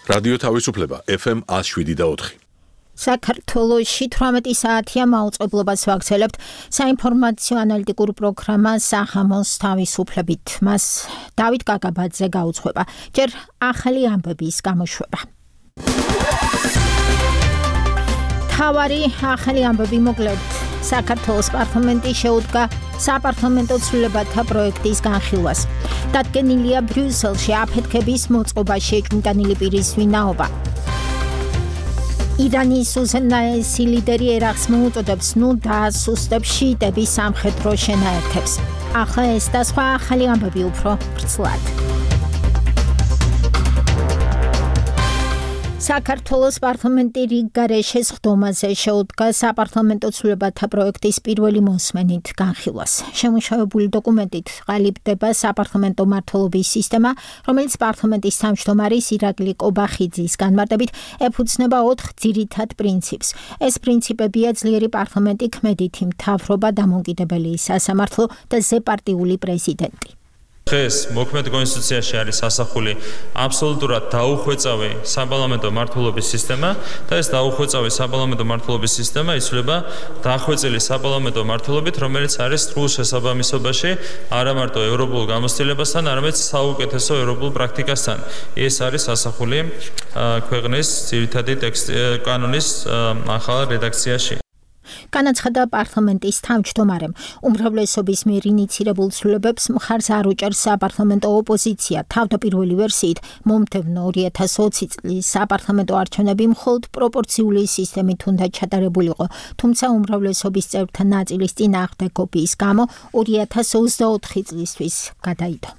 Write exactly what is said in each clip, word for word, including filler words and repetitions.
რადიო თავისუფლება ეფ ემ one oh seven და four. საქართველოში თვრამეტი საათია მაუწყებლობას ვაგრძელებთ საინფორმაციო ანალიტიკურ პროგრამა სახამოს თავისუფლებით. მას დავით კაკაბაძე გაუძღვება. ჯერ ახალი ამბების გამოშვება. თავარი ახალი ამბები მოკლედ. საქართველოს პარლამენტი შეუდგა საპარლამენტო ცვლილებათა პროექტის განხილვას. დადგენილია ბრიუსელში აფეთქების მოწყობაში ეჭვმიტანილი პირის ვინაობა. ირანის უზენაესი ლიდერი ერაყს მოუწოდებს ნუ დაასუსტებს შიიტების სამხედრო შენაერთებს. ახლა ეს და სხვა ახალი ამბები უფრო ვრცლად. საქართველოს პარლამენტი რიგგარეშეს ხდომაზე შეუდგა საპარლამენტო ცვლილებათა პროექტის პირველი მოსმენით განხილვას. შემუშავებული დოკუმენტით ყალიბდება საპარლამენტო მმართველობის სისტემა, რომელიც პარლამენტის თავმჯდომარის ირაკლი კობახიძის განმარტებით ეფუძნება ოთხ ძირითად პრინციპს. ეს პრინციპებია ძლიერი პარლამენტი, ქმედითი მთავრობა, დამოუკიდებელი სასამართლო და ზეპარტიული პრეზიდენტი. დღეს მოქმედ კონსტიტუციაში არის ასახული აბსოლუტურად დაუხვეწავი საპარლამენტო მმართველობის სისტემა და ეს დაუხვეწავი საპარლამენტო მმართველობის სისტემა იცვლება დახვეწილი საპარლამენტო მმართველობით, რომელიც არის სრულ შესაბამისობაში არა მარტო ევროპულ გამოცდილებასთან, არამედ საუკეთესო ევროპულ პრაქტიკასთან. ეს არის ასახული ქვეყნის ძირითადი ტექსტი კანონის ახალ რედაქციაში. განაცხადა პარლამენტის თავმჯდომარემ. უმრავლესობის მიერ ინიცირებულ ცვლილებებს მხარს არ უჭერს საპარლამენტო ოპოზიცია. თავდაპირველი ვერსიით მომდევნო ორი ათას ოცი წლის საპარლამენტო არჩევნები მხოლოდ პროპორციული სისტემით უნდა ჩატარებულიყო, თუმცა უმრავლესობის წევრთა ნაწილის წინააღმდეგობის გამო ორი ათას ოცდაოთხი წლისთვის გადაიდო.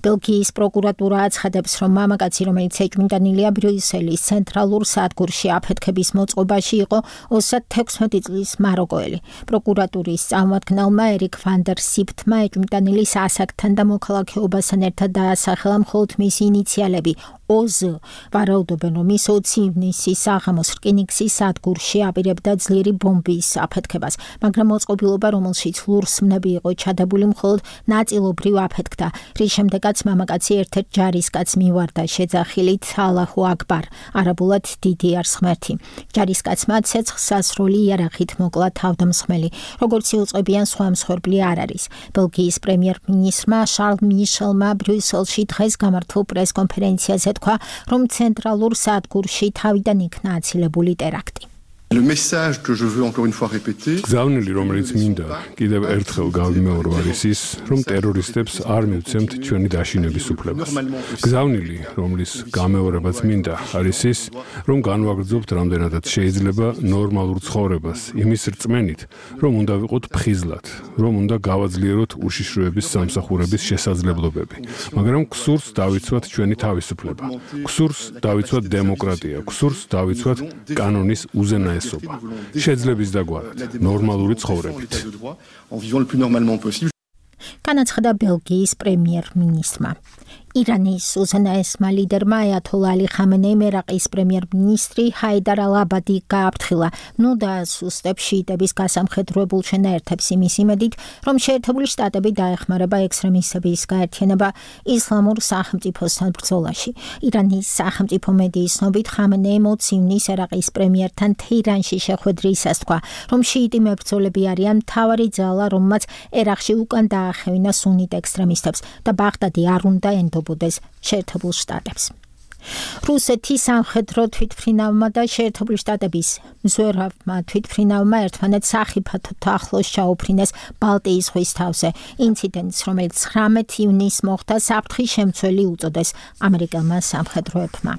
ბელგიის პროკურატურა აცხადებს, რომ მამაკაცი, რომელიც ეჭვმიტანილია ბრიუსელის ცენტრალურ სადგურში აფეთქების მოწყობაში იყო ოცდათექვსმეტი წლის მაროკოელი. პროკურატურის წარმომადგენელმა ერიკ ვანდერ სიფტმა ეჭვმიტანილის ასაკთან და მოქალაქეობასთან ერთად დაასახელა მხოლოდ მისი ინიციალები ო ზ. ვარაუდობენ, რომ ის ოცი ივნისის საღამოს რკინიგზის სადგურში აპირებდა ძლიერი ბომბის აფეთქებას, მაგრამ მოწყობილობა, რომელშიც ლურსმნები იყო ჩადებული, მხოლოდ ნაწილობრივ აფეთქდა, რის შემდეგაც მამაკაცი ერთ-ერთ ჯარისკაცს მივარდა შეძახილით ალაჰუ აკბარ, არაბულად დიდი არის ღმერთი. ჯარისკაცმა ცეცხლსასროლი იარაღით მოკლა თავდამსხმელი. როგორც იუწყებიან, სხვა მსხვერპლი არ არის. ბელგიის პრემიერ-მინისტრმა შარლ მიშელმა ბრიუსელში დღეს გამართულ პრეს-კონფერენციაზე თქვა, რომ ცენტრალურ სადგურში თავიდან იქნა აცილებული ტერაქტი. Le message que je veux encore une fois répéter. გზავნილი, რომელიც მინდა კიდევ ერთხელ გავიმეორო, არის ის, რომ ტერორისტებს არ მივცემთ ჩვენი დაშინების უფლებას. გზავნილი, რომლის გამეორებაც მინდა, არის ის, რომ განვაგრძობთ რამდენადაც შეიძლება ნორმალურ ცხოვრებას, იმის რწმენით, რომ უნდა ვიყოთ ფხიზლად, რომ უნდა გავაძლიეროთ უშიშროების სამსახურების შესაძლებლობები, მაგრამ გსურს დავიცვათ ჩვენი თავისუფლება, გსურს დავიცვათ დემოკრატია, გსურს დავიცვათ კანონის უზენაესობა. შეძლების დაგვარად, ნორმალური ცხოვრებით. განაცხადა ბელგიის პრემიერ-მინისტრმა. ირანის უზენაესმა ლიდერმა აიათოლა ალი ხამენეიმ ერაყის პრემიერ-მინისტრი ჰაიდარ ალ-აბადი გააფრთხილა, ნუ დაასუსტებს შიიტების გასამხედროებულ შენაერთებს იმის იმედით, რომ შეერთებული შტატები დაეხმარება ექსტრემისტების გაერთიანება ისლამურ სახელმწიფოსთან ბრძოლაში. ირანის სახელმწიფო მედიის ცნობით ხამენეიმ ოცი ივნისს ერაყის პრემიერთან თეირანში შეხვედრისას თქვა, რომ შიიტი მებრძოლები არიან მთავარი ძალა, რომელმაც ერაყში უკან დაახევინა სუნიტ ექსტრემისტებს და ბაღდადი არ უნდა ენდო შეერთებულ შტატებს. რუსეთის სამხედრო თვითმფრინავმა და შეერთებული შტატების მზვერავმა თვითმფრინავმა ერთმანეთს სახიფათოდ ახლოს ჩაუფრინეს ბალტიის ზღვის თავზე. ინციდენტს, რომელიც ცხრამეტ ივნისს მოხდა, საფრთხის შემცველი უწოდეს ამერიკელმა სამხედროებმა.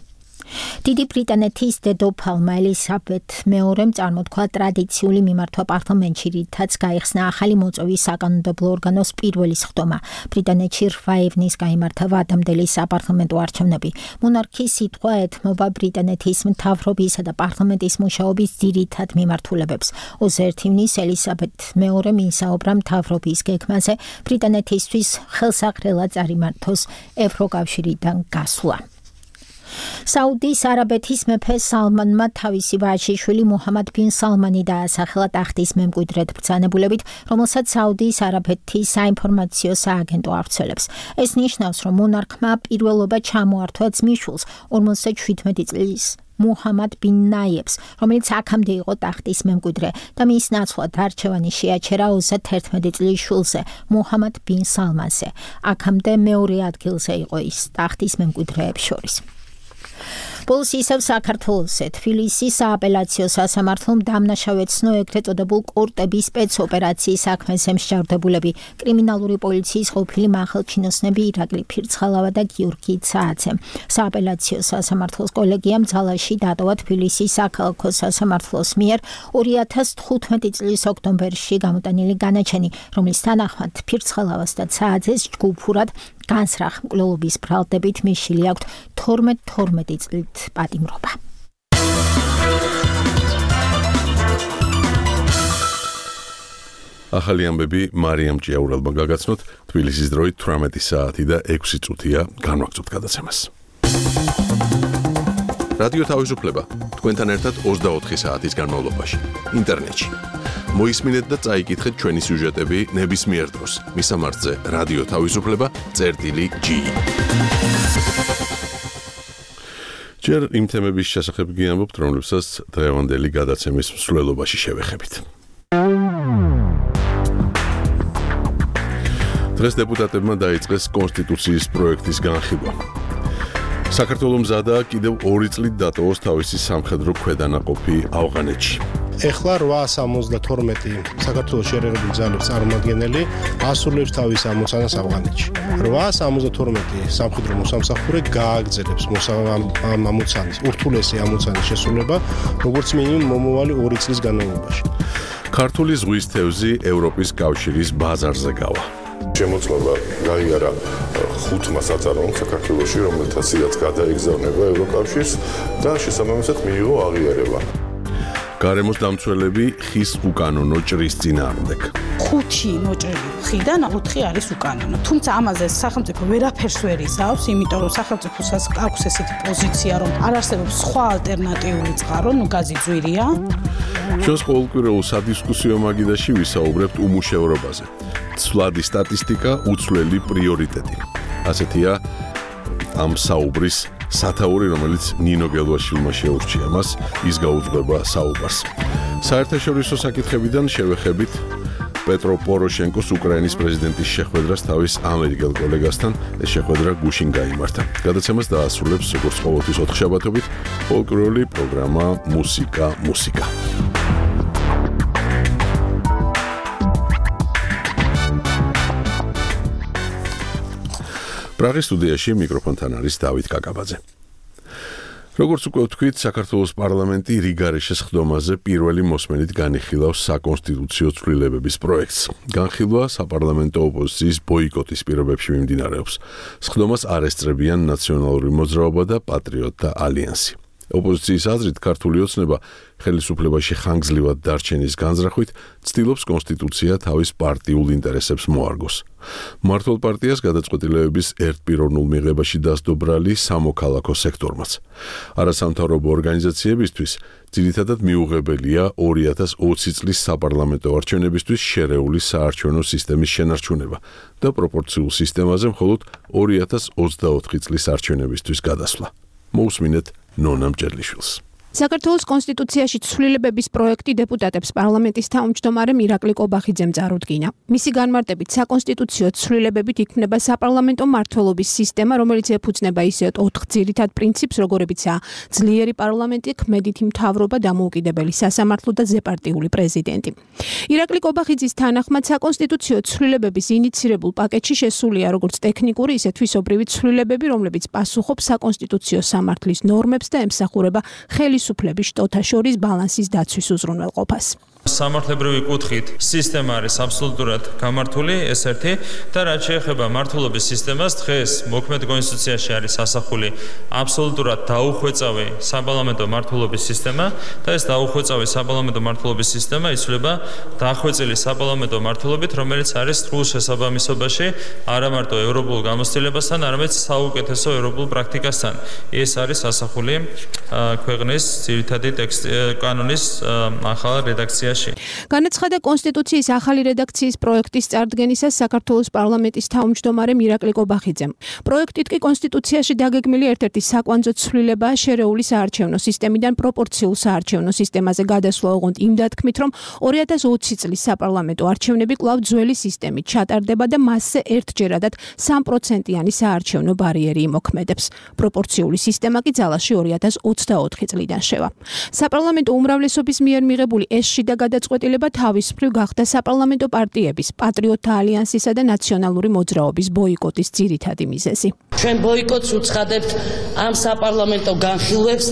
დიდი ბრიტანეთის დედოფალმა ელისაბედ მეორემ წარმოთქვა ტრადიციული მიმართვა პარლამენტში, რითაც გაიხსნა ახალი მოწვევის საკანონმდებლო ორგანოს პირველი სხდომა. ბრიტანეთში რვა ივნისს გაიმართა ვადამდელი საპარლამენტო არჩევნები. მონარქის სიტყვა ეთმობა ბრიტანეთის მთავრობისა და პარლამენტის მუშაობის ძირითად მიმართულებებს. ოცი ერთი ივნისს ელისაბედ მეორემ ისაუბრა მთავრობის გეგმაზე ბრიტანეთისთვის ხელსაყრელად წარიმართოს ევროკავშირიდან გასვლა. საუდის არაბეთის მეფე სალმანმა თავისი ვაჟიშვილი მუჰამად ბინ სალმანი დაასახელა ტახტის მემკვიდრედ ბრძანებულებით, რომელსაც საუდის არაბეთის საინფორმაციო სააგენტო ავრცელებს. ეს ნიშნავს, რომ მონარქმა პირველობა ჩამოართვა ძმისშვილს ორმოცდაშვიდმეტი წლის მუჰამად ბინ ნაიებს, რომელიც აქამდე იყო ტახტის მემკვიდრე და მის ნაცვლად არჩევანი შეაჩერა ოცდაათერთმეტი წლის შვილზე, მუჰამად ბინ სალმანზე. აქამდე მეორე ადგილზე იყო ის ტახტის მემკვიდრეებს შორის. Polisi ისევ საქართველოსზე თბილისის სააპელაციო სასამართლომ დამნაშავედ ცნო ეგრეთ წოდებულ კორტების სპეცოპერაციის საქმეზე მსჯავრდებულები კრიმინალური პოლიციის ყოფილი მახელჩინოსნები ირაკლი ფირცხალავა და გიორგი ცააცე. სააპელაციო სასამართლოს კოლეგიამ ძალაში დატოვა თბილისის საქალაქო სასამართლოს მიერ ორი ათას თხუთმეტი წლის ოქტომბერში გამოტანილი განაჩენი, რომლის თანახმად ფირცხალავას და ცააცეს ჯგუფურად განსრახ მკვლელობის ბრალდებით მიშილი აქვთ თორმეტ თორმეტი წლით პატიმრობა. ახალი ამბები მარიამ ჭიაურელმა გაგაცნოთ თბილისის დროით თვრამეტი საათი და ექვსი წუთია განვაგრძობთ გადაცემას. რადიო თავისუფლება თქვენთან ერთად ოცდაოთხი საათის განმავლობაში ინტერნეტში. მოისმინეთ და წაიკითხეთ ჩვენი სიუჟეტები ნებისმიერ დროს. მისამართზე რადიო თავისუფლება წერტილი ჯი. ჯერ იმ თემების შესახებ გიამბობთ, რომლებსაც დღევანდელი გადაცემის მსვლელობაში შევეხებით. დღეს დეპუტატებმა დაიწყეს კონსტიტუციის პროექტის განხილვა. საქართველოს მზადაა კიდევ ორი წლით დატოვოს თავისი სამხედრო ქვედანაყოფი ავღანეთში. ეხლა რვაას ორმოცდათორმეტი საქართველოს შერეღებული ძალების წარმომადგენელი ასრულებს თავის ამოცანას ავღანეთში. რვაას ორმოცდათორმეტი სამხედრო მოსამსახურე გააგრძელებს ამ ამოცანის, ურთულესი ამოცანის შესრულება, როგორც მინიმუმ მომავალი ორი წლის განმავლობაში. ქართული ზღვის თევზი ევროპის კავშირის ბაზარზე გავა. შემოწმება გაიარა ხუთმა საწარმოომ საქართველოში, რომელთაც გადაეგზავნება ევროკავშირს და შესაბამისად მიიღო აღიარება. გარემოს დამცველები ხის უკანონო ჭრის წინააღმდეგ. ხუთი მოჭრილი ხიდან ოთხი არის უკანონო. თუმცა ამაზე სახელმწიფო ვერაფერს ვერ იზავს, იმიტომ რომ სახელმწიფოს აქვს ესეთი პოზიცია, რომ არ არსებობს სხვა ალტერნატიული წყარო, ნუ გაზი ძვირია. ჩვენს ყოველკვირეულ სადისკუსიო მაგიდაში ვისაუბრებთ უმუშევრობაზე. ცვლადი სტატისტიკა, უცვლელი პრიორიტეტი. ასეთია ამ საუბრის სათაური, რომელიც ნინო გელვაშვილმა შეურჩია მას, ის გაუძღვება საუბარს. საერთაშორისო საკითხებიდან შევეხებით პეტრო პოროშენკოს უკრაინის პრეზიდენტის შეხვედრას თავის ამერიკელ კოლეგასთან. ეს შეხვედრა გუშინ გაიმართა. გადაცემას დაასრულებს როგორც ყოველთვის ოთხშაბათობით ფოლკლორული პროგრამა მუსიკა მუსიკა. პრაღის სტუდიაში მიკროფონთან არის დავით კაკაბაძე. როგორც უკვე ვთქვით, საქართველოს პარლამენტი რიგარეშეს ხდომაზე პირველი მოსმენით განიხილავს საკონსტიტუციო ცვლილებების პროექტს. განხილვა საპარლამენტო ოპოზიციის ბოიკოტის პირობებში მიმდინარეობს. ხდომას არ ესწრებიან ნაციონალური მოძრაობა და პატრიოტთა ალიანსი. ოპოზიციის აზრით, ქართული ოცნება ხელისუფლებაში ხანგრძლივად დარჩენის განზრახვით ცდილობს კონსტიტუცია თავის პარტიულ ინტერესებს მოარგოს. მმართველ პარტიას გადაწყვეტილებების ერთპიროვნულ მიღებაში დასდო ბრალი სამოქალაქო სექტორმაც. არასამთავრობო ორგანიზაციებისთვის ძირითადად მიუღებელია ორი ათას ოცი წლის საპარლამენტო არჩევნებისთვის შერეული საარჩევნო სისტემის შენარჩუნება და პროპორციულ სისტემაზე მხოლოდ ორი ათას ოცდაოთხი წლის არჩევნებისთვის გადასვლა. მოусმინეთ ნონამ ჭერლიშვილს. საქართველოს კონსტიტუციაში ცვლილებების პროექტი დეპუტატებს პარლამენტის თავმჯდომარე ირაკლი კობახიძემ წარუდგინა. მისი განმარტებით საკონსტიტუციო ცვლილებებით იქმნება საპარლამენტო მმართველობის სისტემა, რომელიც ეფუძნება ისეთ ოთხ ძირითად პრინციპს, როგორებიცაა ძლიერი პარლამენტი, ქმედითი მთავრობა, დამოუკიდებელი სასამართლო და ზეპარტიული პრეზიდენტი. ირაკლი კობახიძის თანახმად საკონსტიტუციო ცვლილებების ინიცირებულ პაკეტში შესულია როგორც ტექნიკური, ისე თვისობრივი ცვლილებები, რომლებიც პასუხობს საკონსტიტუციო სამართლის ნორმებს და ემსახურება ხელისუფლების შტოთა შორის ბალანსის დაცვის უზრუნველყოფას. სამართლებრივი კუთხით სისტემა არის აბსოლუტურად გამართული, ეს ერთი და რაც შეეხება მართლობის სისტემას, დღეს მოქმედ კონსტიტუციაში არის ასახული აბსოლუტურად დაუხვეწავი საპარლამენტო მართლობის სისტემა და ეს დაუხვეწავი საპარლამენტო მართლობის სისტემა იცვლება დახვეწილი საპარლამენტო მართლობით, რომელიც არის სრულ შესაბამისობაში არა მარტო ევროპულ გამოცდილებასთან, არამედ საუკეთესო ევროპულ პრაქტიკასთან. ეს არის ასახული ქვეყნის ძირითადი ტექსტი კანონის ახალ რედაქციაში. განაცხადა კონსტიტუციის ახალი რედაქციის პროექტის წარდგენისას საქართველოს პარლამენტის თავმჯდომარემ ირაკლი კობახიძემ. პროექტით კი კონსტიტუციაში დაგეგმილი ერთ-ერთი საკვანძო ცვლილებაა შერეული საარჩევნო სისტემიდან პროპორციულ საარჩევნო სისტემაზე გადასვლა, ოღონდ იმ დათქმით, რომ ორი ათას ოცი წლის საპარლამენტო არჩევნები კვლავ ძველი სისტემით ჩატარდება და მასზე ერთჯერადად სამ პროცენტიანი საარჩევნო ბარიერი იმოქმედებს. პროპორციული სისტემა კი ძალაში ორი ათას ოცდაოთხი წლიდან შევა. საპარლამენტო უმრავლესობის მიერ მიღებული ეს შიდა გადაწყვეტილება თავისუფლ გახდა საპარლამენტო პარტიების, პატრიოტთა ალიანსისა და ნაციონალური მოძრაობის ბოიკოტის ძირითადი მიზეზი. ჩვენ ბოიკოტს უცხადებთ ამ საპარლამენტო განხილვებს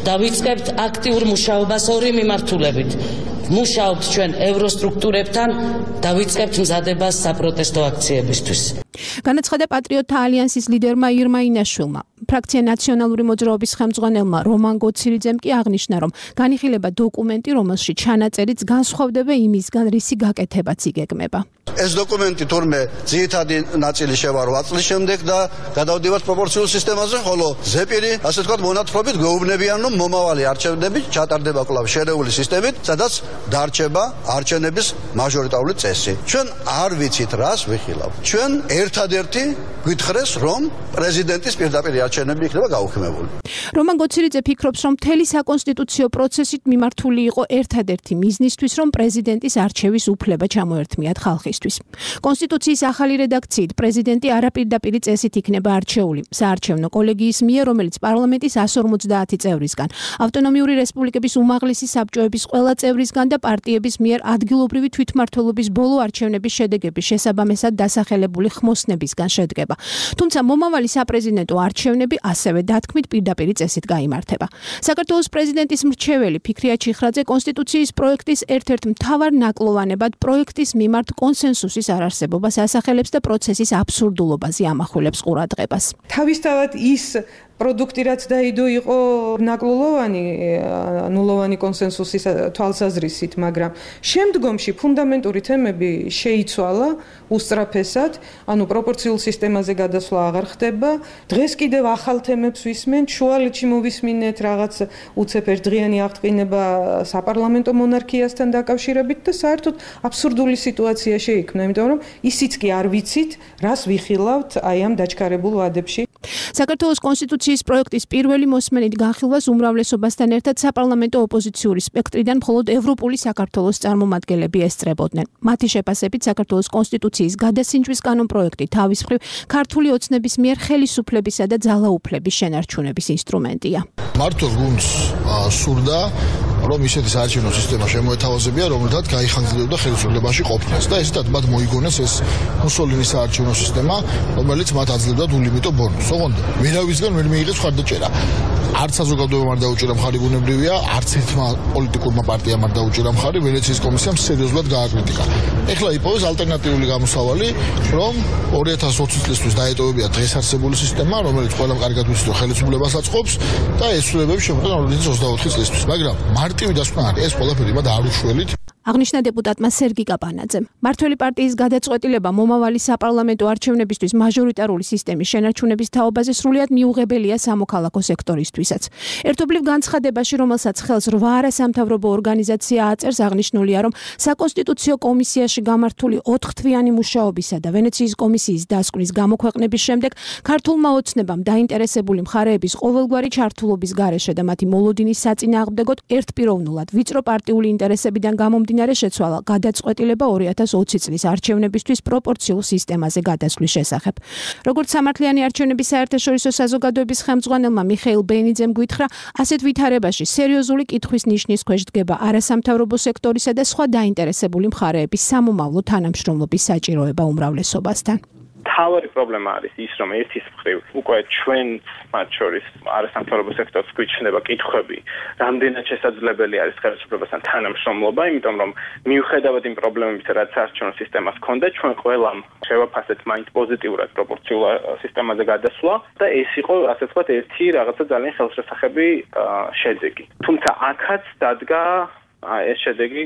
და ვიწყებთ აქტიურ მუშაობას ორი მიმართულებით. მუშაობთ ჩვენ ევროსტრუქტურებთან და ვიწყებთ მზადებას საპროტესტო აქციებისთვის. განაცხადა პატრიოტთა ალიანსის ლიდერმა ირმა ინაშვილმა. ფრაქცია ნაციონალური მოძრაობის ხელმძღვანელმა რომან გოცირიძემ კი აღნიშნა, რომ განიხილება დოკუმენტი, რომელშიც ჩანაწერიც განსხვავდება იმისგან, რისი გაკეთებაც იგეგმება. ეს დოკუმენტი თურმე ძირითადი ნაწილი შევა რვა წლის შემდეგ და გადავდივართ პროპორციულ სისტემაზე, ხოლო ზეპირი, ასე ვთქვათ, მონათხრობით გვეუბნებიან, რომ მომავალი არჩევნები ჩატარდება კვლავ შერეული სისტემით, სადაც დარჩება არჩევნების მაჟორიტარული წესი. ჩვენ არ ვიცით რას ვიხილავ. ჩვენ ერთადერთი გვითხრეს, რომ პრეზიდენტის პირდაპირ არჩევნები იქნება გაუქმებული. რომან გოცირიძე ფიქრობს, რომ მთელი საკონსტიტუციო პროცესით მიმართული იყო ერთადერთი მიზნისთვის, რომ პრეზიდენტის არჩევის უფლება ჩამოერთმიათ ხალხისთვის. კონსტიტუციის ახალი რედაქციით პრეზიდენტი არაპირდაპირი წესით იქნება არჩეული საარჩევნო კოლეგიის მიერ, რომელიც პარლამენტის εκατს ორმოცდაათი წევრისგან, ავტონომიური რესპუბლიკების უმაღლესი საბჭოების ყველა წევრისგან და პარტიების მიერ ადგილობრივი თვითმმართველობის ბოლო არჩევნების შედეგების შესაბამისად დასახელებული ხმოსნებისგან შედგება. თუმცა მომავალი საპრეზიდენტო არჩევნები ასევე დათქმით პირდაპირი წესით გაიმართება. საქართველოს პრეზიდენტის მრჩეველი ფიქრია ჩიხრაძე კონსტიტუციის პროექტის ერთ-ერთ მთავარ ნაკლოვანებად პროექტის მიმართ კონსენსუსის არარსებობას ასახელებს და პროცესის აბსურდულობაზე ამახვილებს ყურადღებას. თავისთავად ის პროდუქტი რაც დაიდო იყო ნაკლოვანი, ნულოვანი კონსენსუსის თვალსაზრისით, მაგრამ შემდგომში ფუნდამენტური თემები შეიცვალა უსწრაფესად, ანუ პროპორციულ სისტემაზე გადასვლა აღარ ხდება. დღეს კიდევ ახალ თემებს ვისმენთ, შუალედში მოვისმინეთ რაღაც უცებ ერთდღიანი აღდგინება საპარლამენტო მონარქიასთან დაკავშირებით და საერთოდ აბსურდული სიტუაცია შეიქმნა, იმიტომ რომ ისიც კი არ ვიცით, რას ვიხილავთ აი ამ დაჩქარებულ ვადებში. საქართველოს კონსტიტუციის პროექტის პირველი მოსმენით განხილვას უმრავლესობასთან ერთად საპარლამენტო ოპოზიციური სპექტრიდან მხოლოდ ევროპული საქართველოს წარმომადგენლები ესწრებოდნენ. მათი შეფასებით საქართველოს კონსტიტუციის გადასინჯვის კანონპროექტი თავის მხრივ ქართული ოცნების მიერ ხელისუფლებისა და ძალაუფლების შენარჩუნების ინსტრუმენტია. მართო გუნდს სურდა, რომ ისეთი საარჩევნო სისტემა შემოეთავაზებია, რომელთაც გაიხანგრძლივდა ხელისუფლებაში ყოფნას და ესეთად მათ მოიგონეს ეს მუსოლინის საარჩევნო სისტემა, რომელიც მათ აძლევდა ულიმიტო ბონუსს. ოღონდ ვერავისგან ვერ მიიღეს მხარდაჭერა. არც საზოგადოებამ არ დაუჭირა მხარი, ბუნებრივია, არც ერთმა პოლიტიკურმა პარტიამ არ დაუჭირა მხარი, ვენეციის კომისიამ სერიოზულად გააკრიტიკა. ეხლა იპოვეს ალტერნატიული გამოსავალი, რომ ორი ათას ოცი წლისთვის დაეტოვებია დღეს არსებული სისტემა, რომელიც ყველამ კარგად ვიცით, რომ ხელისუფლებას აწყობს და ესრულებები შემოყვება ორი ათას ოცდაოთხი წლისთვის. მაგრამ მარტივი დასკვნა არის, ეს ყველაფერი მათ არ უშველით. აღნიშნა დეპუტატმა სერგი კაპანაძემ. მართველი პარტიის გადაწყვეტილება მომავალი საპარლამენტო არჩევნებისთვის მაჟორიტარული სისტემის შენარჩუნების თაობაზე სრულიად მიუღებელია სამოქალაქო სექტორისთვისაც. ერთობლივ განცხადებაში, რომელსაც ხელს რვა არასამთავრობო ორგანიზაცია აწერს, აღნიშნულია, რომ საკონსტიტუციო კომისიაში გამართული ოთხთვიანი მუშაობისა და ვენეციის კომისიის დასკვნის გამოქვეყნების შემდეგ ქართულმა ოცნებამ დაინტერესებული მხარეების ყოველგვარი ჩართულობის გარეშე და მათი მოლოდინის საწინააღმდეგოდ ერთპიროვნულად ვიწრო პარტიული ინტერესებიდან გამომდინარე შეცვალა გადაწყვეტილება ორი ათას ოცი წლის არჩევნებისთვის პროპორციულ სისტემაზე გადასვლის შესახებ. როგორც სამართლიანი არჩევნების საერთაშორისო საზოგადოების ხელმძღვანელმა მიხეილ ბენიძემ გვითხრა, ასეთ ვითარებაში სერიოზული კითხვის ნიშნის ქვეშ დგება არასამთავრობო სექტორისა და სხვა დაინტერესებული მხარეების სამომავლო თანამშრომლობის საჭიროება უმრავლესობასთან. მთავარი პრობლემა არის ის, რომ ერთის მხრივ უკვე ჩვენ მათ შორის არასამთავრობო სექტორს გვიჩნდება კითხვები, რამდენად შესაძლებელი არის ხელისუფლებასთან თანამშრომლობა, იმიტომ რომ მიუხედავად იმ პრობლემებისა, რაც საარჩევნო სისტემას ჰქონდა, ჩვენ ყველამ შევაფასეთ მაინც პოზიტიურად პროპორციულ სისტემაზე გადასვლა და ეს იყო, ასე ვთქვათ, ერთი რაღაცა ძალიან ხელშესახები შედეგი. თუმცა აქაც დადგა ეს შედეგი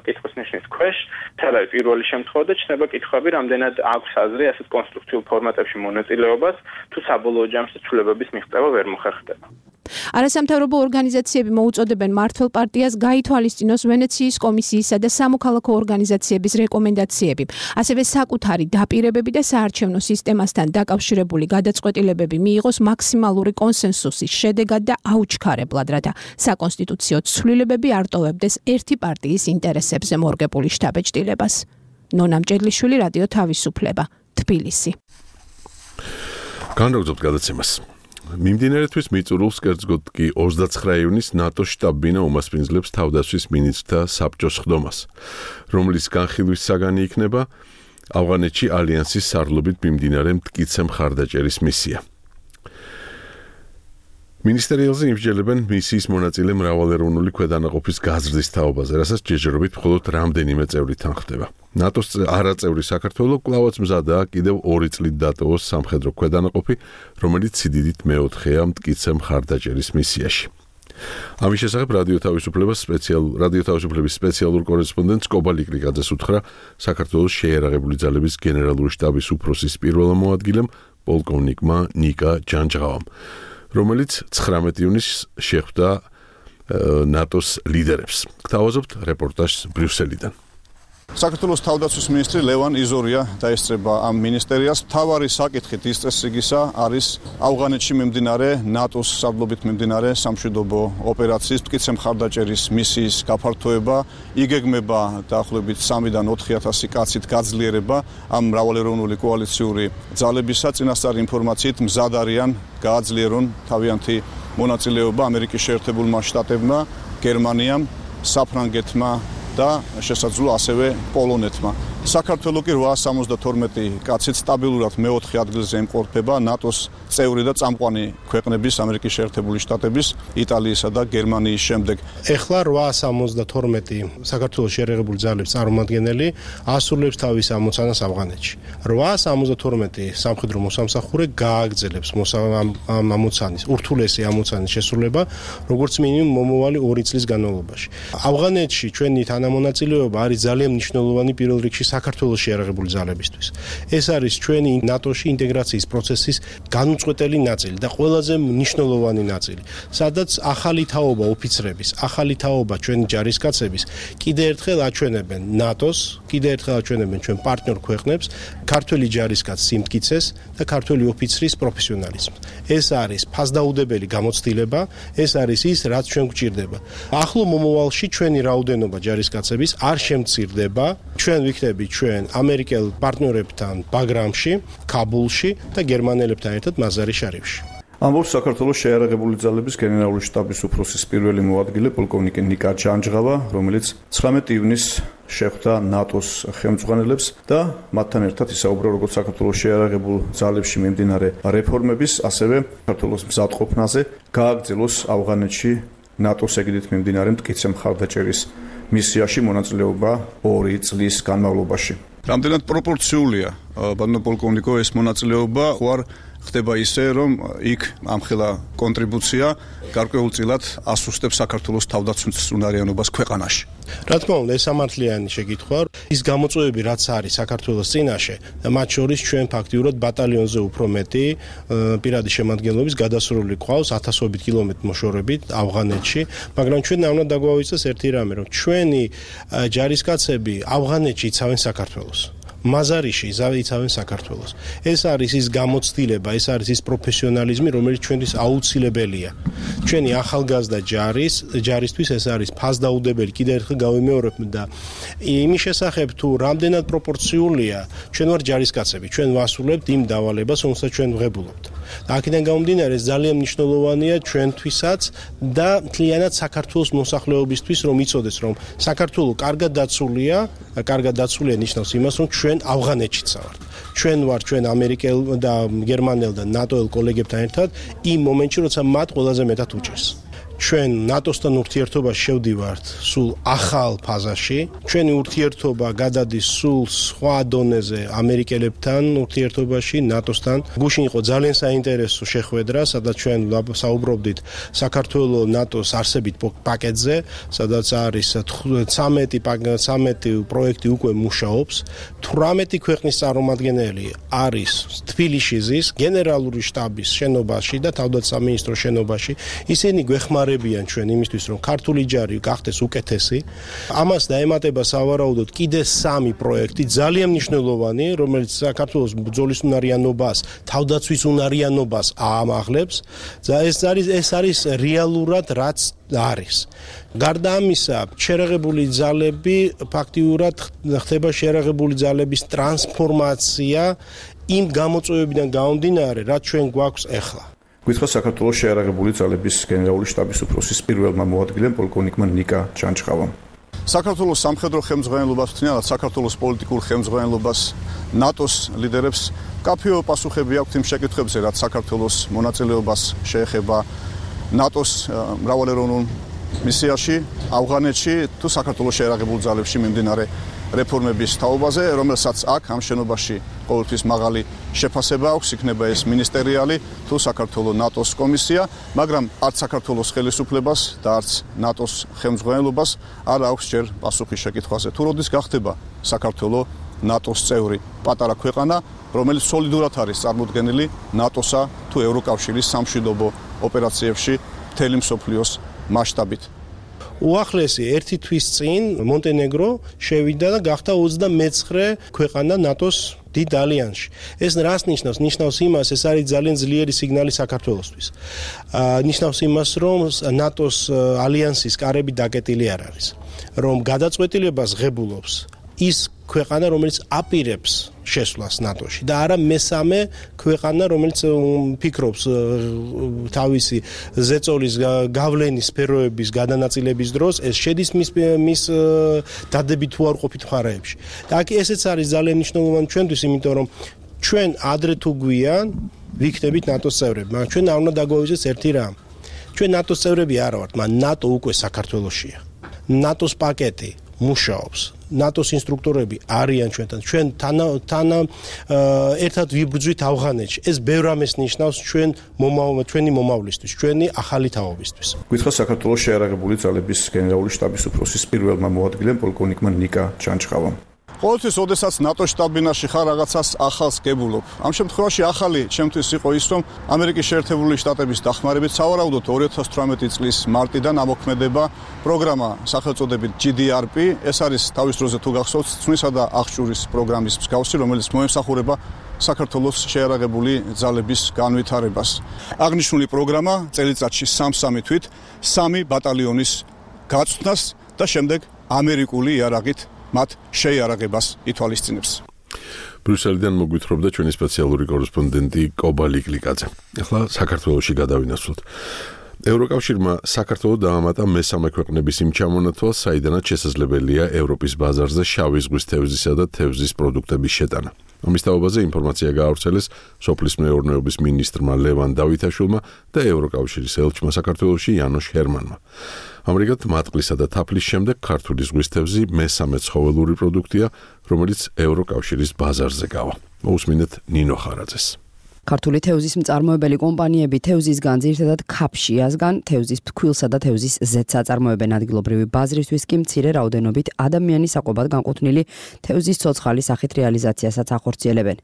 კითხვის ნიშნის ქვეშ, თელავი პირველი შემთხვევა და ჩნდება კითხვები, რამდენად აქვს აზრი ასეთ კონსტრუქციულ ფორმატებში მონაწილეობას, თუ საბოლოო ჯამში ცვლილებების მიღწევა ვერ მოხერხდება. არასამთავრობო ორგანიზაციები მოუწოდებენ მმართველ პარტიას გაითვალისწინოს ვენეციის კომისიისა და სამოქალაქო ორგანიზაციების რეკომენდაციები, ასევე საკუთარი დაპირებები და საარჩევნო სისტემასთან დაკავშირებული გადაწყვეტილებები მიიღოს მაქსიმალური კონსენსუსის შედეგად და აუჩქარებლად, რათა საკონსტიტუციო ცვლილებები არ ტოვებდეს ერთი პარტიის ინტერესებზე მორგებული შთაბეჭდილებას. ნონა მჭედლიშვილი, რადიო თავისუფლება, თბილისი. განაგრძობთ გადაცემას. მიმდინარეთვის მიწურულს კერძოდ კი ოცდაცხრა ივნის ნატოს შტაბ-ბინა უმასპინძლებს თავდაცვის მინისტრთა საბჭოს ხდომას, რომლის განხილვის საგანი იქნება ავღანეთში ალიანსის სარდლობით მიმდინარე მტკიცე მხარდაჭერის მისია. მინისტერიალზე იმსჯელებენ მისიის მონაწილე მრავალეროვნული ქვედანაყოფის გაზრდის თაობაზე, რასაც ჯერჯერობით მხოლოდ რამდენიმე წევრი თანხდება. ნატოს არაწევრი საქართველო კვლავაც მზადაა კიდევ ორი წლით დატოვოს სამხედრო ქვედანაყოფი, რომელიც სიდიდით მეოთხეა მტკიცე მხარდაჭერის მისიაში. ამის შესახებ რადიო თავისუფლებას სპეციალურ რადიო თავისუფლების სპეციალურ კორესპონდენტს კობა ლიკლიკაძეს უთხრა საქართველოს შეიარაღებული ძალების გენერალური შტაბის უფროსის პირველმა მოადგილემ პოლკოვნიკმა ნიკა ჯანჯღავამ, რომელიც ცხრამეტი ივნისს შეხვდა ნატოს ლიდერებს. გთავაზობთ რეპორტაჟს ბრიუსელიდან. საქართველოს თავდაცვის მინისტრი ლევან იზორია დაესწრება ამ მინისტერიას. მთავარი საკითხით ის წესრიგისა არის ავღანეთში მიმდინარე ნატოს სარდლობით მიმდინარე სამშვიდობო ოპერაციის მტკიცე მხარდაჭერის მისიის გაფართოება, იგეგმება დაახლოებით სამიდან ოთხი ათასი კაცით გაძლიერება ამ მრავალეროვნული კოალიციური ძალებისა. წინასწარი ინფორმაციით მზად არიან გააძლიერონ თავიანთი მონაწილეობა ამერიკის შეერთებულმა შტატებმა, გერმანიამ, საფრანგეთმა და შესაძლოა ასევე პოლონეთმა. საქართველო კი რვაას სამოცდათორმეტი კაცით სტაბილურად მეოთხე ადგილზე იმყოფება ნატოს წევრი და წამყვანი ქვეყნების ამერიკის შეერთებული შტატების, იტალიისა და გერმანიის შემდეგ. ეხლა რვაას სამოცდათორმეტი საქართველოს შეიარაღებული ძალების წარმომადგენელი ასრულებს თავის ამოცანას ავღანეთში. რვაას სამოცდათორმეტი სამხედრო მოსამსახურე გააგრძელებს ამ ამოცანის, ურთულესი ამოცანის შესრულება, როგორც მინიმუმ მომავალი ორი წლის განმავლობაში. ავღანეთში ჩვენი თანამონაწილეობა არის ძალიან მნიშვნელოვანი პირველ რიგში საქართველოს შეიარაღებული ძალებისთვის. ეს არის ჩვენი ნატოში ინტეგრაციის პროცესის განუწყვეტელი ნაწილი და ყველაზე მნიშვნელოვანი ნაწილი, სადაც ახალი თაობა ოფიცრების, ახალი თაობა ჩვენი ჯარისკაცების კიდე ერთხელ აჩვენებენ ნატოს, კიდე ერთხელ აჩვენებენ ჩვენ პარტნიორ ქვეყნებს ქართველი ჯარისკაცის სიმტკიცეს და ქართველი ოფიცრის პროფესიონალიზმს. ეს არის ფასდაუდებელი გამოცდილება, ეს არის ის, რაც ჩვენ გვჭირდება. ახლო მომავალში ჩვენი რაოდენობა ჯარისკაცების არ შემცირდება, ჩვენ ვიქნებით ჩვენ ამერიკელ პარტნიორებთან ბაგრამში, კაბულში და გერმანელებთან ერთად მაზარი შარიფში. ამბობს საქართველოს შეიარაღებული ძალების გენერალური შტაბის უფროსის პირველი მოადგილე პოლკოვნიკი ნიკა ჯანჯღავა, რომელიც ცხრამეტი ივნისს შეხვდა ნატოს ხელმძღვანელებს და მათთან ერთად ისაუბრა როგორც საქართველოს შეიარაღებულ ძალებში მიმდინარე რეფორმების, ასევე საქართველოს მზადყოფნაზე გააგრძელოს ავღანეთში ნატოს ეგიდით მიმდინარე მტკიცე მხარდაჭერის მისიაში მონაწილეობა ორი წლის განმავლობაში. რამდენად პროპორციულია ბატონო პოლკოვნიკო ეს მონაწილეობა, ხوار ხდება ისე, რომ იქ ამხელა კონტრიბუცია გარკვეულწილად ასუსტებს საქართველოს თავდაცვის უნარიანობას ქვეყანაში. რა თქმა უნდა, ეს სამართლიანი შეკითხვა. ის გამოწვევები, რაც არის საქართველოს წინაშე და მათ შორის ჩვენ ფაქტიურად ბატალიონზე უფრო მეტი პირადი შემადგენლობის გადასრული ყავს ათასობით კილომეტრი მოშორებით ავღანეთში, მაგრამ ჩვენ არ უნდა დაგვავიწყდეს ერთი რამე, რომ ჩვენი ჯარისკაცები ავღანეთში იცავენ საქართველოს. მაზარიში იცავენ საქართველოს. ეს არის ის გამოცდილება, ეს არის ის პროფესიონალიზმი, რომელიც ჩვენთვის აუცილებელია. ჩვენი ახალგაზრდა ჯარის, ჯარისთვის ეს არის ფასდაუდებელი, კიდევ ერთხელ გავიმეორებ და იმის შესახებ თუ რამდენად პროპორციულია, ჩვენ ვარ ჯარისკაცები, ჩვენ ვასრულებთ იმ დავალებას, რომელსაც ჩვენ ვღებულობთ. და აქედან გამომდინარე ძალიან მნიშვნელოვანია ჩვენთვისაც და მთლიანად საქართველოს მოსახლეობისთვის რომ იცოდეს რომ საქართველო კარგად დაცულია, კარგად დაცულია ნიშნავს იმას რომ ჩვენ ავღანეთშიც ვართ. ჩვენ ვართ ჩვენ ამერიკელ და გერმანელ და ნატოელ კოლეგებთან ერთად იმ მომენტში როცა მათ ყველაზე მეტად უჭირს. ჩვენ ნატოსთან ურთიერთობაში შევდივართ სულ ახალ ფაზაში. ჩვენი ურთიერთობა გადადის სულ სხვა დონეზე ამერიკელებთან ურთიერთობაში, ნატოსთან. გუშინ იყო ძალიან საინტერესო შეხვედრა, სადაც ჩვენ საუბრობდით საქართველოს ნატოს არსებით პაკეტზე, სადაც არის ცამეტი პროექტი უკვე მუშაობს. თვრამეტი ქვეყნის წარმომადგენელი არის თბილისის გენერალური შტაბის შენობაში და თავდაცვის შენობაში. ისინი გვეხმარებიან ჩვენ იმისთვის რომ ქართული ჯარი გახდეს უკეთესი. ამას დაემატება სავარაუდოდ კიდე სამი პროექტი ძალიან მნიშვნელოვანი, რომელიც საქართველოს ბრძოლის უნარიანობას, თავდაცვის უნარიანობას აამაღლებს. და ეს არის ეს არის რეალურად რაც არის. გარდა ამისა, შეერაღებული ძალები ფაქტიურად ხდება შეერაღებული ძალების ტრანსფორმაცია იმ გამოწვევებიდან გამომდინარე, რაც ჩვენ გვაქვს ახლა. გითხრა საქართველოს შეერაღებული ძალების გენერალური შტაბის უფროსის პირველმა მოადგილემ პოლკოვნიკმა ნიკა ჩანჩხავამ. საქართველოს სამხედრო ხელმძღვანელობას თუნდაც საქართველოს პოლიტიკურ ხელმძღვანელობას ნატოს ლიდერებს კაფეო პასუხები აქვთ იმ შეკითხვებზე, რაც საქართველოს მონაწილეობას შეეხება ნატოს მრავალეროვნულ მისიაში ავღანეთში თუ საქართველოს შეერაღებულ ძალებში მიმდინარე რეფორმების თაობაზე, რომელსაც აქ ამ შენობაში ყოველთვის მაღალი შეფასება აქვს, იქნება ეს მინისტერიალი თუ საქართველოს ნატოს კომისია, მაგრამ არც საქართველოს ხელისუფლებას და არც ნატოს ხელმძღვანელობას არ აქვს ჯერ პასუხი შეკითხვაზე, თუ როდის გახდება საქართველოს ნატოს წევრი პატარა ქვეყანა, რომელიც სოლიდურად არის წარმოდგენილი ნატოსა თუ ევროკავშირის სამშვიდობო ოპერაციებში მთელი მსოფლიოს მასშტაბით. უახლესი ერთი თვის წინ მონტენეგრო შევიდა და გახდა ოცდამეცხრე ქვეყანა ნატოს დიდ ალიანსში. ეს რას ნიშნავს? ნიშნავს იმას, ეს არის ძალიან ძლიერი სიგნალი საქართველოსთვის. ნიშნავს იმას, რომ ნატოს ალიანსის კარები დაკეტილი არ არის, რომ გადაწყვეტილებას ღებულობს ის ქვეყანა, რომელიც აპირებს შესვლას ნატოში და არა მესამე ქვეყანა, რომელიც ფიქრობს თავისი ზეწოლის გავლენის სფეროების გადანაწილების დროს, ეს შედის მის მის დადებით თუ არ ყოფით მხარეებში. და აქ ესეც არის ძალიან მნიშვნელოვანი ჩვენთვის, იმიტომ რომ ჩვენ ადრე თუ გვიან ვიქნებით ნატოს წევრები, მაგრამ ჩვენ არ უნდა დაგვაუზეს ერთი რამ. ჩვენ ნატოს წევრები არ ვართ, მაგრამ ნატო უკვე საქართველოშია. ნატოს პაკეტი მუშაობს. ნატოს ინსტრუქტორები არიან ჩვენთან. ჩვენ თან ერთად ვიბრძვით ავღანეთში. ეს ბევრ რამეს ნიშნავს ჩვენ ჩვენი მომავლისთვის, ჩვენი ახალი თაობისთვის. გითხრა საქართველოს შეერაღებული ძალების გენერალური შტაბის უფროსის პირველმა მოადგილემ პოლკოვნიკმა ნიკა ჩანჩხავამ. ყოველთვის, ოდესაც ნატოს შტაბ-ბინაში ხარ, რაღაცას ახალს გებულობ. ამ შემთხვევაში ახალი ჩემთვის იყო ის, რომ ამერიკის შეერთებული შტატების დახმარებით სავარაუდოდ ორი ათას თვრამეტი წლის მარტიდან ამოქმედება პროგრამა სახელწოდებით ჯი დი არ პი. ეს არის თავის დროზე თუ გახსოვთ, ცნისა და აღჭურის პროგრამის მსგავსი, რომელიც მოემსახურება საქართველოს შეერაღებული ძალების განვითარებას. აღნიშნული პროგრამა წელიწადში სამ-სამი თვით სამი ბატალიონის გაწვრთნას და შემდეგ ამერიკული იარაღით მათ შეიარაღებას ითვალისწინებს. ბრიუსელიდან მოგვითხრობდა ჩვენი სპეციალური კორესპონდენტი კობა ლიკლიკაძე. ახლა საქართველოში გადავინაცვლოთ. ევროკავშირმა საქართველოს დაამატა მესამე ქვეყნების იმ ჩამონათვალს, საიდანაც შესაძლებელია ევროპის ბაზარზე შავი ზღვის თევზისა და თევზის პროდუქტების შეტანა. ამის თაობაზე ინფორმაცია გაავრცელეს სოფლის მეურნეობის მინისტრმა ლევან დავითაშვილმა და ევროკავშირის ელჩმა საქართველოში იანოშ ჰერმანმა. ამრიგად, მატყლისა და თაფლის შემდეგ ქართული ზღვის თევზი მესამე ცხოველური პროდუქტია, რომელიც ევროკავშირის ბაზარზე გავა. მოусმინეთ ნინო ხარაძეს. ქართული თევზის მწარმოებელი კომპანიები თევზისგან ძირითადად ქაფშიასგან თევზის ფქვილსა და თევზის ზეთს აწარმოებენ. ადგილობრივი ბაზრისთვის კი მცირე რაოდენობით ადამიანის საკვებად განკუთვნილი თევზის ცოცხალის სახით რეალიზაციასაც ახორციელებენ.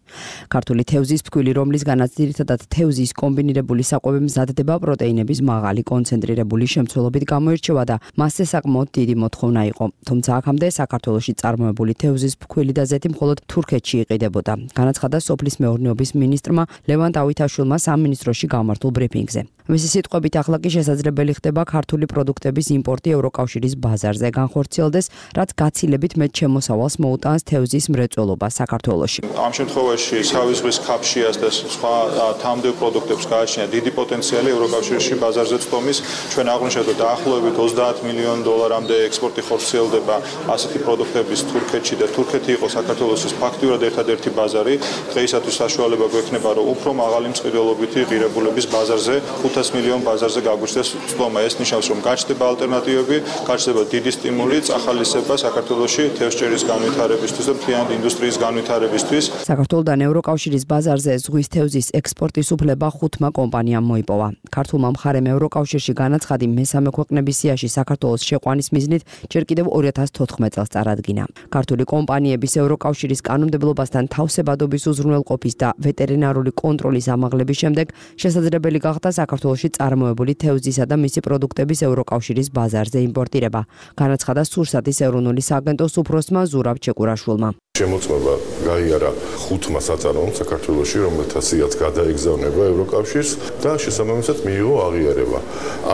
ქართული თევზის ფქვილი, რომლისგანაც ძირითადად თევზის კომბინირებული საკვები მზადდება, პროტეინების მაღალი კონცენტრირებული შემცველობით გამოირჩევა და მასზე საკმაოდ დიდი მოთხოვნა იყო. თუმცა აქამდე საქართველოში წარმოებული თევზის ფქვილი და ზეთი მხოლოდ თურქეთში იყიდებოდა. განაცხადა სოფლის მეურნეობის მინისტრმა ლევან დავითაშვილმა სამინისტროში გამართულ ბრიფინგზე. მისი სიტყვებით ახლა კი შესაძლებელი ხდება ქართული პროდუქტების იმპორტი ევროკავშირის ბაზარზე განხორციელდეს, რაც გაცილებით მეტ შემოსავალს მოუტანს თევზის მრეწველობა საქართველოში. ამ შემთხვევაში სავის ზღვის ქაფშიას და სხვა თამდევ პროდუქტებს გააჩნია დიდი პოტენციალი ევროკავშირში ბაზარზე წტომის. ჩვენ აღვნიშნეთ, რომ დაახლოებით ოცდაათ მილიონ დოლარამდე ექსპორტი ხორციელდება ასეთი პროდუქტების თურქეთში და თურქეთი იყო საქართველოსის ფაქტიურად ერთადერთი ბაზარი. დღეისათვის საშუალება გვექნება, რომ უფრო მაღალი მწყიდველობითი ღირებულების ბაზარზე ხუთას მილიონ ბაზარზე გაგვიჩნდეს წტომა. ეს ნიშნავს, რომ გაჩნდება ალტერნატივები, გაჩნდება დიდი სტიმული წახალისება საქართველოში თევზჭერის განვითარებისთვის და მთლიანი ინდუსტრიის განვითარებისთვის. საქართველოდან ევროკავშირის ბაზარზე ზღვის თევზის ექსპორტის უფლება ხუთმა კომპანიამ მოიპოვა. ქართულმა მხარემ ევროკავშირში განაცხადი მესამე ქვეყნების სიაში საქართველოს შეყვანის მიზნით ჯერ კიდევ ორი ათას თოთხმეტ წელს წარადგინა. ქართული კომპანიების ევროკავშირის კანონმდებლობასთან თავსებადობის უზრუნველყოფის და ვეტერინარული კონტროლის ამაღლების შემდეგ შესაძლებელი გახდა საქართველოში წარმოებული თევზისა და მისი პროდუქტების ევროკავშირის ბაზარზე იმპორტირება. განაცხადა სურსათის ეროვნული სააგენტოს უფროსმა ზურაბ ჩეკურაშვილმა. შემოწმება გაიარა ხუთმა საწარმოომ საქართველოში, რომელთაც გადაეგზავნება ევროკავშირს და შესაბამისად მიიღო აღიარება.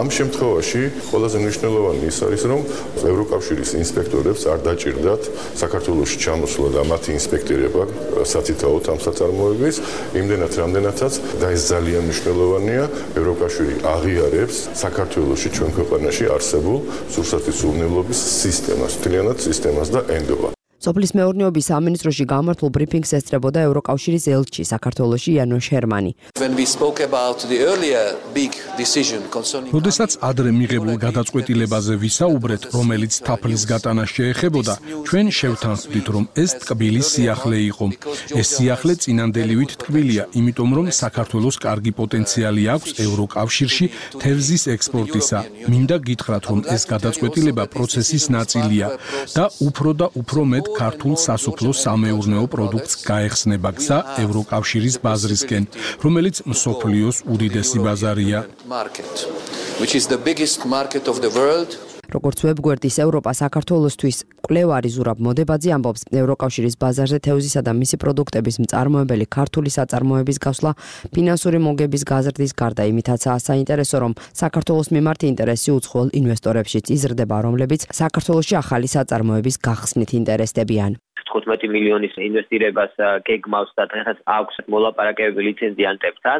ამ შემთხვევაში ყველაზე მნიშვნელოვანი ის არის, რომ ევროკავშირის ინსპექტორებს არ დაჭირდათ საქართველოში ჩამოსვლა და მათი ინსპექტირება სათითაოდ ამ საწარმოების, იმდენად რამდენადაც და ეს ძალიან მნიშვნელოვანია, ევროკავშირი აღიარებს საქართველოში ჩვენ ქვეყანაში არსებულ სურსათის უზრუნველობის სისტემას, მთლიანად სისტემას და ენდობა. სოფლის მეურნეობის სამინისტროში გამართულ ბრიფინგს ესწრებოდა ევროკავშირის ელჩი საქართველოში იანო შერმანი. როდესაც ადრე მიღებულ გადაწყვეტილებაზე ვისაუბრეთ, რომელიც თაფლის გატანას შეეხებოდა, ჩვენ შევთანხმდით, რომ ეს ტკბილი სიახლე იყო. ეს სიახლე წინანდელივით ტკბილია, იმიტომ რომ საქართველოს კარგი პოტენციალი აქვს ევროკავშირში თევზის ექსპორტისა. მინდა გითხრათ, რომ ეს გადაწყვეტილება პროცესის ნაწილია და უფრო და უფრო მეტ ქართულ სასოფლო სამეურნეო პროდუქტს გაეხსნება გზა ევროკავშირის ბაზრისკენ, რომელიც მსოფლიოს უდიდესი ბაზარია. როგორც ვებგვერდის ევროპა საქართველოსთვის კვლევარი ზურაბ მოდებაძე ამბობს, ევროკავშირის ბაზარზე თევზისა და მისი პროდუქტების მწარმოებელი ქართული საწარმოების გასვლა ფინანსური მოგების გაზრდის გარდა იმითაცაა საინტერესო, რომ საქართველოს მიმართ ინტერესი უცხოელ ინვესტორებშიც იზრდება, რომლებიც საქართველოში ახალი საწარმოების გახსნით ინტერესდებიან. თხუთმეტი მილიონის ინვესტირებას გეგმავს და დღესაც აქვს მოლაპარაკებები ლიცენზიანტებთან.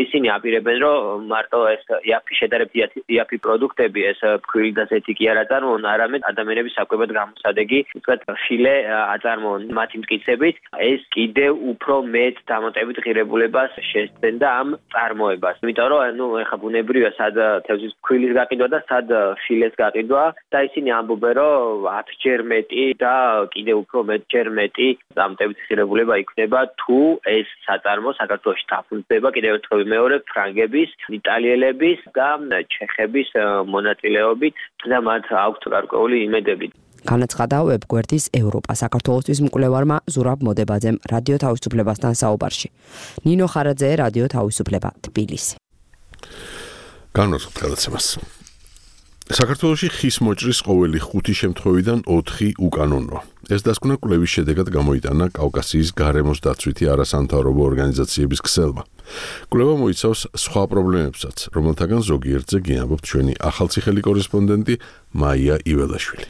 ისინი აპირებენ, რომ მარტო ეს იაფი შედარებით იაფი პროდუქტები, ეს ფქვილი და ზეთი კი არ აწარმოონ, არამედ ადამიანების საკვებად გამოსადეგი, უბრალოდ შილე აწარმოონ მათი მტკიცებით. ეს კიდევ უფრო მეტ დამატებით ღირებულებას შესცენდა ამ წარმოებას. იმიტომ რომ ნუ ეხა ბუნებრივია სად თევზის ფქვილის გაყიდვა და სად შილეს გაყიდვა და ისინი ამბობენ, რომ ათჯერ მეტი და კიდევ უფრო მეტ ჯერ მეტი დამატებით ღირებულება იქნება თუ ეს საწარმო საქართველოში დაფუძნდება კიდევ ერთხელ მეორე ფრანგების, იტალიელების და ჩეხების მონაწილეობით და მათ აქვთ გარკვეული იმედები. განაცხადა ვებგვერდის ევროპა საქართველოსთვის მკვლევარმა ზურაბ მოდებაძემ რადიო თავისუფლებასთან საუბარში. ნინო ხარაძე, რადიო თავისუფლება, თბილისი. განვასხვათ გადაცემას. საქართველოში ხის მოჭრის ყოველი ხუთი შემთხვევიდან ოთხი უკანონოა. ეს დასკვნა კვლევის შედეგად გამოიტანა კავკასიის გარემოს დაცვითი არასამთავრობო ორგანიზაციების ქსელმა. კვლევა მოიცავს სხვა პრობლემებსაც, რომელთაგან ზოგიერთზე გიამბობთ ჩვენი ახალციხელი კორესპონდენტი მაია იველაშვილი.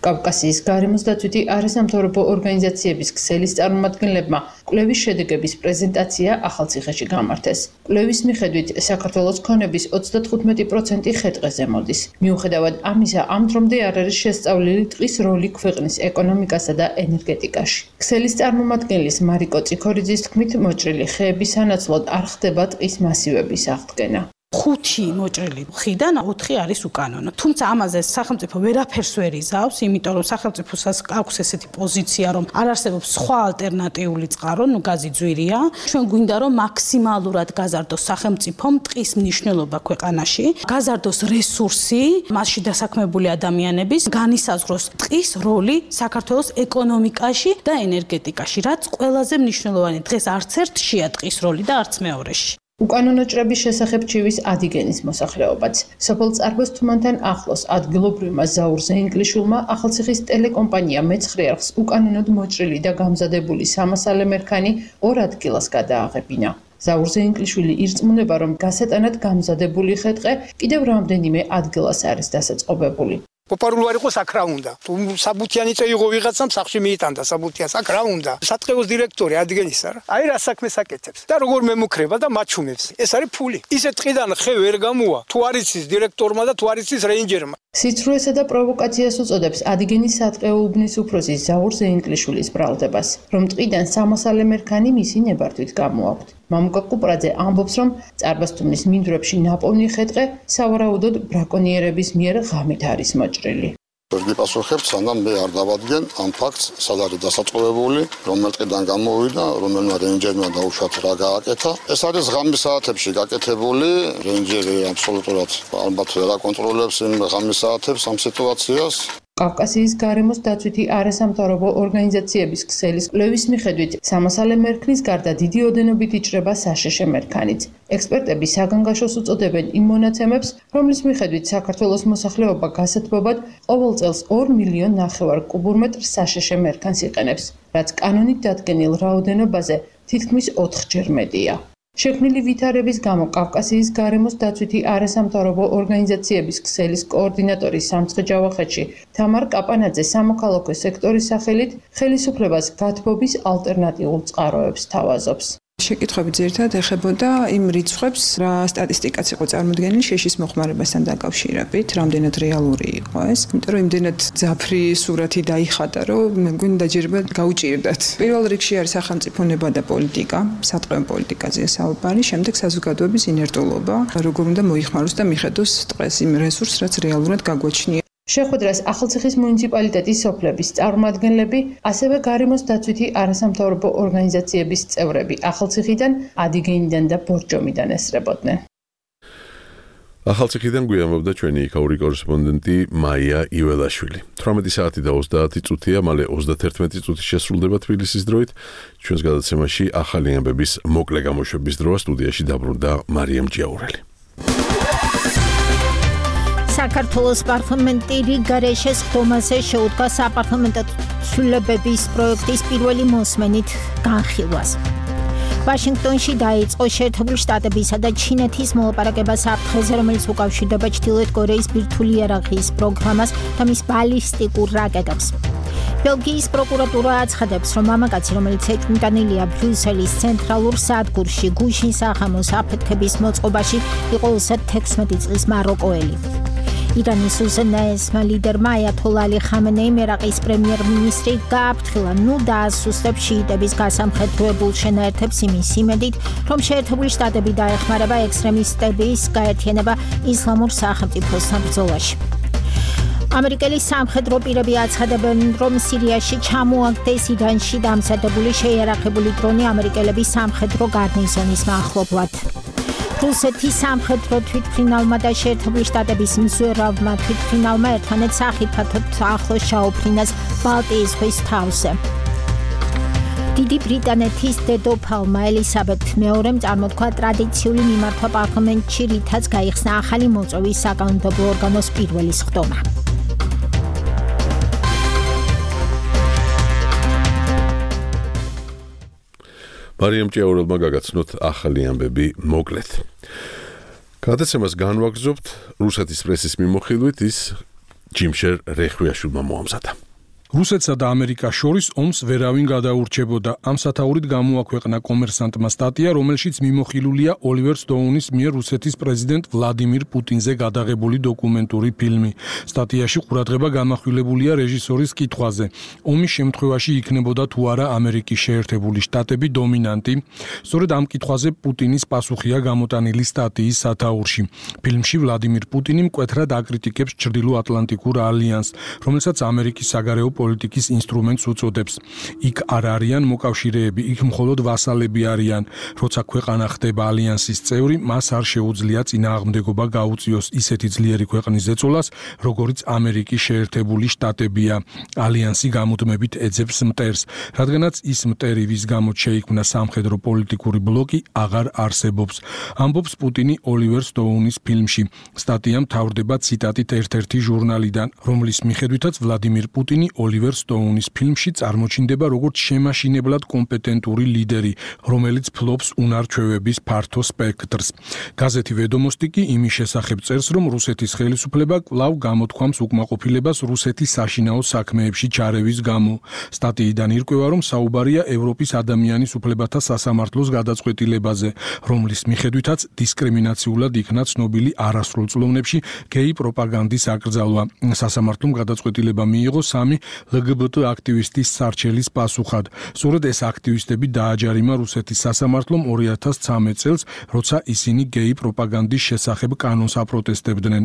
კავკასიის გარემოს დაცვითი არასამთავრობო ორგანიზაციების ქსელის წარმომადგენლებმა კვლევის შედეგების პრეზენტაცია ახალციხეში გამართეს. კვლევის მიხედვით საქართველოს ქონების ოცდათხუთმეტი პროცენტი ხე-ტყეზე მოდის. მიუხედავად ამისა, ამ დრომდე არ არის შესწავლილი ტყის როლი ქვეყნის ეკონომიკასა და ენერგეტიკაში. ქსელის წარმომადგენლის მარიკო წიქორიძის თქმით, მოჭრილი ხეების სანაცვლოდ არ ხდება ტყის მასივების აღდგენა. ხუთი მოჭრილი ხიდან ოთხი არის უკანონო. თუმცა ამაზე სახელმწიფო ვერაფერს ვერ იზავს, იმიტომ რომ სახელმწიფოს აქვს ესეთი პოზიცია, რომ არ არსებობს სხვა ალტერნატიული წყარო, ნუ გაზი ძვირია. ჩვენ გვინდა რომ მაქსიმალურად გაზარდოს სახელმწიფომ ტყის მნიშვნელობა ქვეყანაში, გაზარდოს რესურსი, მასში დასაქმებული ადამიანების, განისაზღვროს ტყის როლი საქართველოს ეკონომიკაში და ენერგეტიკაში, რაც ყველაზე მნიშვნელოვანი. დღეს არც ერთშია ტყის როლი და არც მეორეში. უკანონო ჭრების შესახებ ჩივის ადიგენის მოსახლეობაც. სოფელ წარბოს თუმანთან ახლოს ადგილობრივმა ზაურზე ინგლიშულმა ახალციხის ტელეკომპანია მეცხრე არხს უკანონოდ მოჭრილი და გამზადებული სამასალე მერქანი ორ ადგილას გადააღებინა. ზაურ ზეინკლიშვილი ირწმუნება, რომ გასატანად გამზადებული ხეტყე კიდევ რამდენიმე ადგილას არის დასაწყობებული. Poparul are cu sacra unda. Tu sabutiani ți-ai govigațam saxi mitanda sabutia sacra unda. Satqeus direktori adgenisar. Ai რა საქმე საკეთებს. და როგორ მემუქრება და მაჩუმებს. ეს არის ფული. ისე ტყიდან ხე ვერ გამოვა. თუ არის ის დირექტორმა და თუ არის ის რეინჯერმა. სიცრუესა და პროვოკაციას უწოდებს ადგენის სატყეო უბნის უფროსის ზაურ ზეინკლიშვილის ბრალდებას, რომ ტყიდან სამოსალე მერქანი მისი ნებართვით გამოაქვთ. მამუკა კუპრაძე ამბობს, რომ წარბასთუმნის მინდვრებში ნაპოვნი ხეტყე სავარაუდოდ ბრაკონიერების მიერ ღამით არის მოჭრილი. ვერ გიპასუხებთ, სანამ მე არ დავადგენ ამ ფაქტს, სად არის დასაწყობებული, რომელ ტყიდან გამოვიდა, რომელმა რეინჯერმა დაუშვათ რა გააკეთა. ეს არის ღამის საათებში გაკეთებული, რეინჯერი აბსოლუტურად ალბათ ვერ აკონტროლებს იმ ღამის საათებს ამ სიტუაციას. კავკასიის გარემოს დაცვითი არასამთავრობო ორგანიზაციების ქსელის კვლევის მიხედვით, სამოსალე მერქნის გარდა დიდი ოდენობით იჭრება საშეშე მერქანიც. ექსპერტები საგანგაშოს უწოდებენ იმ მონაცემებს, რომლის მიხედვით საქართველოს მოსახლეობა გასათბობად ყოველ წელს ორ მილიონ ნახევარ კუბურმეტრ საშეშე მერქანს იყენებს, რაც კანონით დადგენილ რაოდენობაზე თითქმის ოთხჯერ მეტია. შექმნილი ვითარების გამო კავკასიის გარემოს დაცვითი არასამთავრობო ორგანიზაციების ქსელის კოორდინატორი სამცხე-ჯავახეთში თამარ კაპანაძე სამოქალაქო სექტორის სახელით ხელისუფლებას გათბობის ალტერნატიულ წყაროებს თავაზობს. შეკითხვები ძირითადად ეხებოდა იმ რიცხვებს, რა სტატისტიკაც იყო წარმოდგენილი შეშის მოხმარებასთან დაკავშირებით, რამდენად რეალური იყო ეს. იმიტომ რომ იმდენად ძაფრი სურათი დაიხატა, რომ მე მგონი დაჯერება გაუჭირდათ. პირველ რიგში არის სახელმწიფო ნება და პოლიტიკა, სატყეო პოლიტიკაზეა საუბარი, შემდეგ საზოგადოების ინერტულობა, როგორ უნდა მოიხმაროს და მიხედოს ტყეს იმ რესურსს, რაც რეალურად გაგვაჩნია. შეხვედრას ახალციხის მუნიციპალიტეტის სოფლების წარმომადგენლები, ასევე გარემოს დაცვითი არასამთავრობო ორგანიზაციების წევრები ახალციხიდან, ადიგენიდან და ბორჯომიდან ესწრებოდნენ. ახალციხიდან გვიამბობდა ჩვენი იქაური კორესპონდენტი მაია იველაშვილი. თვრამეტი საათი და ოცდაათი წუთია, მალე ოცდაათი წუთი შესრულდება თბილისის დროით. ჩვენს გადაცემაში ახალი ამბების მოკლე გამოშვების დროა სტუდიაში დაბრუნდა მარიამ ჭიაურელი. საქართველოს პარლამენტი რიგარე შესხდომაზე შეუდგა საპარლამენტო ცვლილებების პროექტის პირველი მოსმენით განხილვას. ვაშინგტონში დაიწყო შეერთებული შტატებისა და ჩინეთის მოლაპარაკება საფრთხეზე, რომელიც უკავშირდება ჩრდილოეთ კორეის ბირთვული იარაღის პროგრამას და მის ბალისტიკურ რაკეტებს. ბელგიის პროკურატურა აცხადებს, რომ მამაკაცი, რომელიც ეთნიკანილია ბრიუსელის ცენტრალურ სადგურში გუშინ სახამოს აფეთქების მოწყობაში, იყო ოცდათექვსმეტი წლის მაროკოელი. ირანის უზენაესმა ლიდერმა აიათოლა ალი ხამენეიმ ერაყის პრემიერ-მინისტრი გააფრთხილა, ნუ დაასუსტებს შიიტების გასამხედროებულ შენაერთებს იმის იმედით, რომ შეერთებული შტატები დაეხმარება ექსტრემისტების გაერთიანება ისლამურ სახელმწიფოსთან ბრძოლაში. ამერიკელი სამხედრო პირები აცხადებენ, რომ სირიაში ჩამოაგდეს ირანში დამზადებული შეიარაღებული დრონი ამერიკელების სამხედრო გარნიზონის მახლობლად. რუსეთის სამხედრო თვითმფრინავმა და შეერთებული შტატების მზვერავმა თვითმფრინავმა ერთმანეთს ახიფათოდ ახლოს ჩაუფრინეს ბალტიის ზღვის თავზე. დიდი ბრიტანეთის დედოფალმა ელისაბედ მეორემ წარმოთქვა ტრადიციული მიმართვა პარლამენტში, რითაც გაიხსნა ახალი მოწვევის საკანონმდებლო ორგანოს პირველი სხდომა. მარიამ ჭიაურელმა გაგაცნოთ ახალი ამბები მოკლედ. გადაცემას განვაგრძობთ რუსეთის პრესის მიმოხილვით ის ჯიმშერ რეხვიაშვილმა მოამზადა. რუსეთსა და ამერიკას შორის ომს ვერავინ გადაურჩებოდა. ამ სათაურით გამოაქვეყნა კომერსანტმა სტატია, რომელშიც მიმოხილულია ოლივერ სტოუნის მიერ რუსეთის პრეზიდენტ ვლადიმირ პუტინზე გადაღებული დოკუმენტური ფილმი. სტატიაში ყურადღება გამახვილებულია რეჟისორის კითხვაზე. ომის შემთხვევაში იქნებოდა თუ არა ამერიკის შეერთებული შტატები დომინანტი? სწორედ ამ კითხვაზე პუტინის პასუხია გამოტანილი სტატიის სათაურში. ფილმში ვლადიმირ პუტინი მკვეთრად აკრიტიკებს ჩრდილოატლანტიკურ ალიანსს, რომელსაც ამერიკის საგარეო პოლიტიკის ინსტრუმენტს უწოდებს. იქ არ არიან მოკავშირეები, იქ მხოლოდ ვასალები არიან. როცა ქვეყანა ხდება ალიანსის წევრი, მას არ შეუძლია წინააღმდეგობა გაუწიოს ისეთი ძლიერი ქვეყნის ზეწოლას, როგორიც ამერიკის შეერთებული შტატებია. ალიანსი გამუდმებით ეძებს მტერს, რადგანაც ის მტერი, ვის გამოც შეიქმნა სამხედრო პოლიტიკური ბლოკი, აღარ არსებობს. ამბობს პუტინი ოლივერ სტოუნის ფილმში. სტატია მთავრდება ციტატით ერთ-ერთი ჟურნალიდან, რომლის მიხედვითაც ვლადიმირ პუტინი ოლივერ სტოუნის ფილმში წარმოჩინდება როგორც შემაშინებლად კომპეტენტური ლიდერი, რომელიც ფლობს უნარჩვევების ფართო სპექტრს. გაზეთი ვედომოსტი კი იმის შესახებ წერს, რომ რუსეთის ხელისუფლება კვლავ გამოთქვამს უკმაყოფილებას რუსეთის საშინაო საქმეებში ჩარევის გამო. სტატიიდან ირკვევა, რომ საუბარია ევროპის ადამიანის უფლებათა სასამართლოს გადაწყვეტილებაზე, რომლის მიხედვითაც დისკრიმინაციულად იქნა ცნობილი არასრულწლოვნებში გეი პროპაგანდის აკრძალვა. სასამართლომ გადაწყვეტილება მიიღო სამი ლგბტ აქტივისტის სარჩელის პასუხად. სწორედ ეს აქტივისტები დააჯარიმა რუსეთის სასამართლომ ორი ათას ცხრამეტ წელს, როცა ისინი გეი პროპაგანდის შესახებ კანონს აპროტესტებდნენ.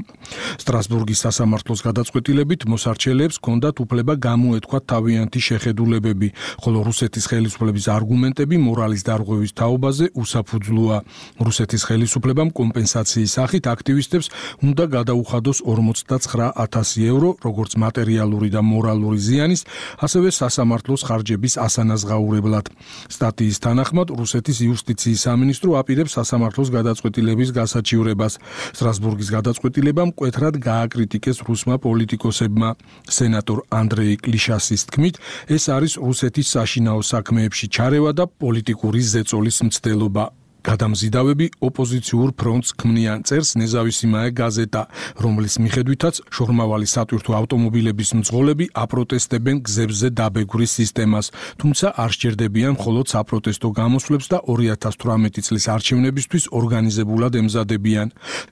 სტრასბურგის სასამართლოს გადაწყვეტილებით მოსარჩელეებს ჰქონდათ უფლება გამოეთქვათ თავიანთი შეხედულებები, ხოლო რუსეთის ხელისუფლების არგუმენტები მორალის დარღვევის თაობაზე უსაფუძვლოა. რუსეთის ხელისუფლებამ კომპენსაციის სახით აქტივისტებს უნდა გადაუხადოს ორმოცდაცხრა ათასი ევრო, როგორც მატერიალური და მორალური ზიანის, ასევე სასამართლოს ხარჯების ასანაზღაურებლად. სტატიის თანახმად, რუსეთის იუსტიციის სამინისტრო აპირებს სასამართლოს გადაწყვეტილების გასაჩივრებას. სტრასბურგის გადაწყვეტილება მკვეთრად გააკრიტიკეს რუსმა პოლიტიკოსებმა. სენატორ ანდრეი კლიშასის თქმით, ეს არის რუსეთის საშინაო საქმეებში ჩარევა და პოლიტიკური ზეწოლის მცდელობა. გადამზიდავები ოპოზიციურ ფრონტს ქმნიან, წერს ნეზავისიმაე გაზეტა, რომლის მიხედვითაც შორმავალი სატვირთო ავტომობილების მძღოლები აპროტესტებენ გზებზე დაბეგვრის სისტემას, თუმცა არ სჭირდებიან მხოლოდ საპროტესტო გამოსვლებს და ორი ათას თვრამეტი წლის არჩევნებისთვის ორგანიზებულად ემზადებიან.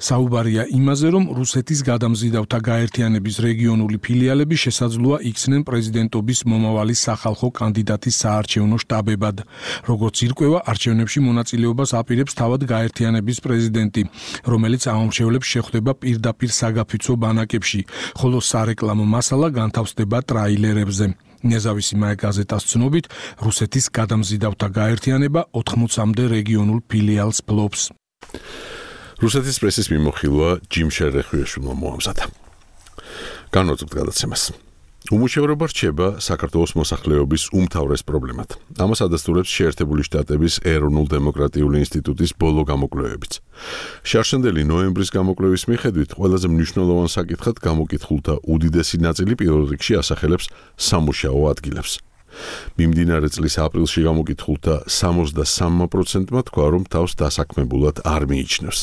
საუბარია იმაზე, რომ რუსეთის გადამზიდავთა გაერთიანების რეგიონული ფილიალები შესაძლოა იქცნენ პრეზიდენტობის მომავალი სახალხო კანდიდატის საარჩევნო შტაბებად. როგორც ირკვევა, არჩევნებში მონაწილეობას აპირებს თავად გაერთიანების პრეზიდენტი, რომელიც ამომრჩევლებს შეხვდება პირდაპირ საგაფიცო ბანაკებში, ხოლო სარეკლამო მასალა განთავსდება ტრაილერებზე. ნეზავისიმაე გაზეტას ცნობით, რუსეთის გადამზიდავთა გაერთიანება ოთხმოცამდე რეგიონულ ფილიალს ფლობს. რუსეთის პრესის მიმოხილვა ჯიმ შერეხუეშვილმა მოამზადა. განვაცხადოთ გადაცემას. უმუშევრობა რჩება საქართველოს მოსახლეობის უმთავრეს პრობლემად. ამას ადასტურებს შეერთებული შტატების ეროვნულ-დემოკრატიული ინსტიტუტის ბოლო გამოკვლევებიც. შარშანდელი ნოემბრის გამოკვლევის მიხედვით, ყველაზე მნიშვნელოვან საკითხად გამოკითხულთა უდიდესი ნაწილი პირველ რიგში ასახელებს სამუშაო ადგილებს. მიმდინარე წლის აპრილში გამოკითხულთა სამოცდასამ პროცენტმა თქვა, რომ თავს დასაქმებულად არ მიიჩნევს.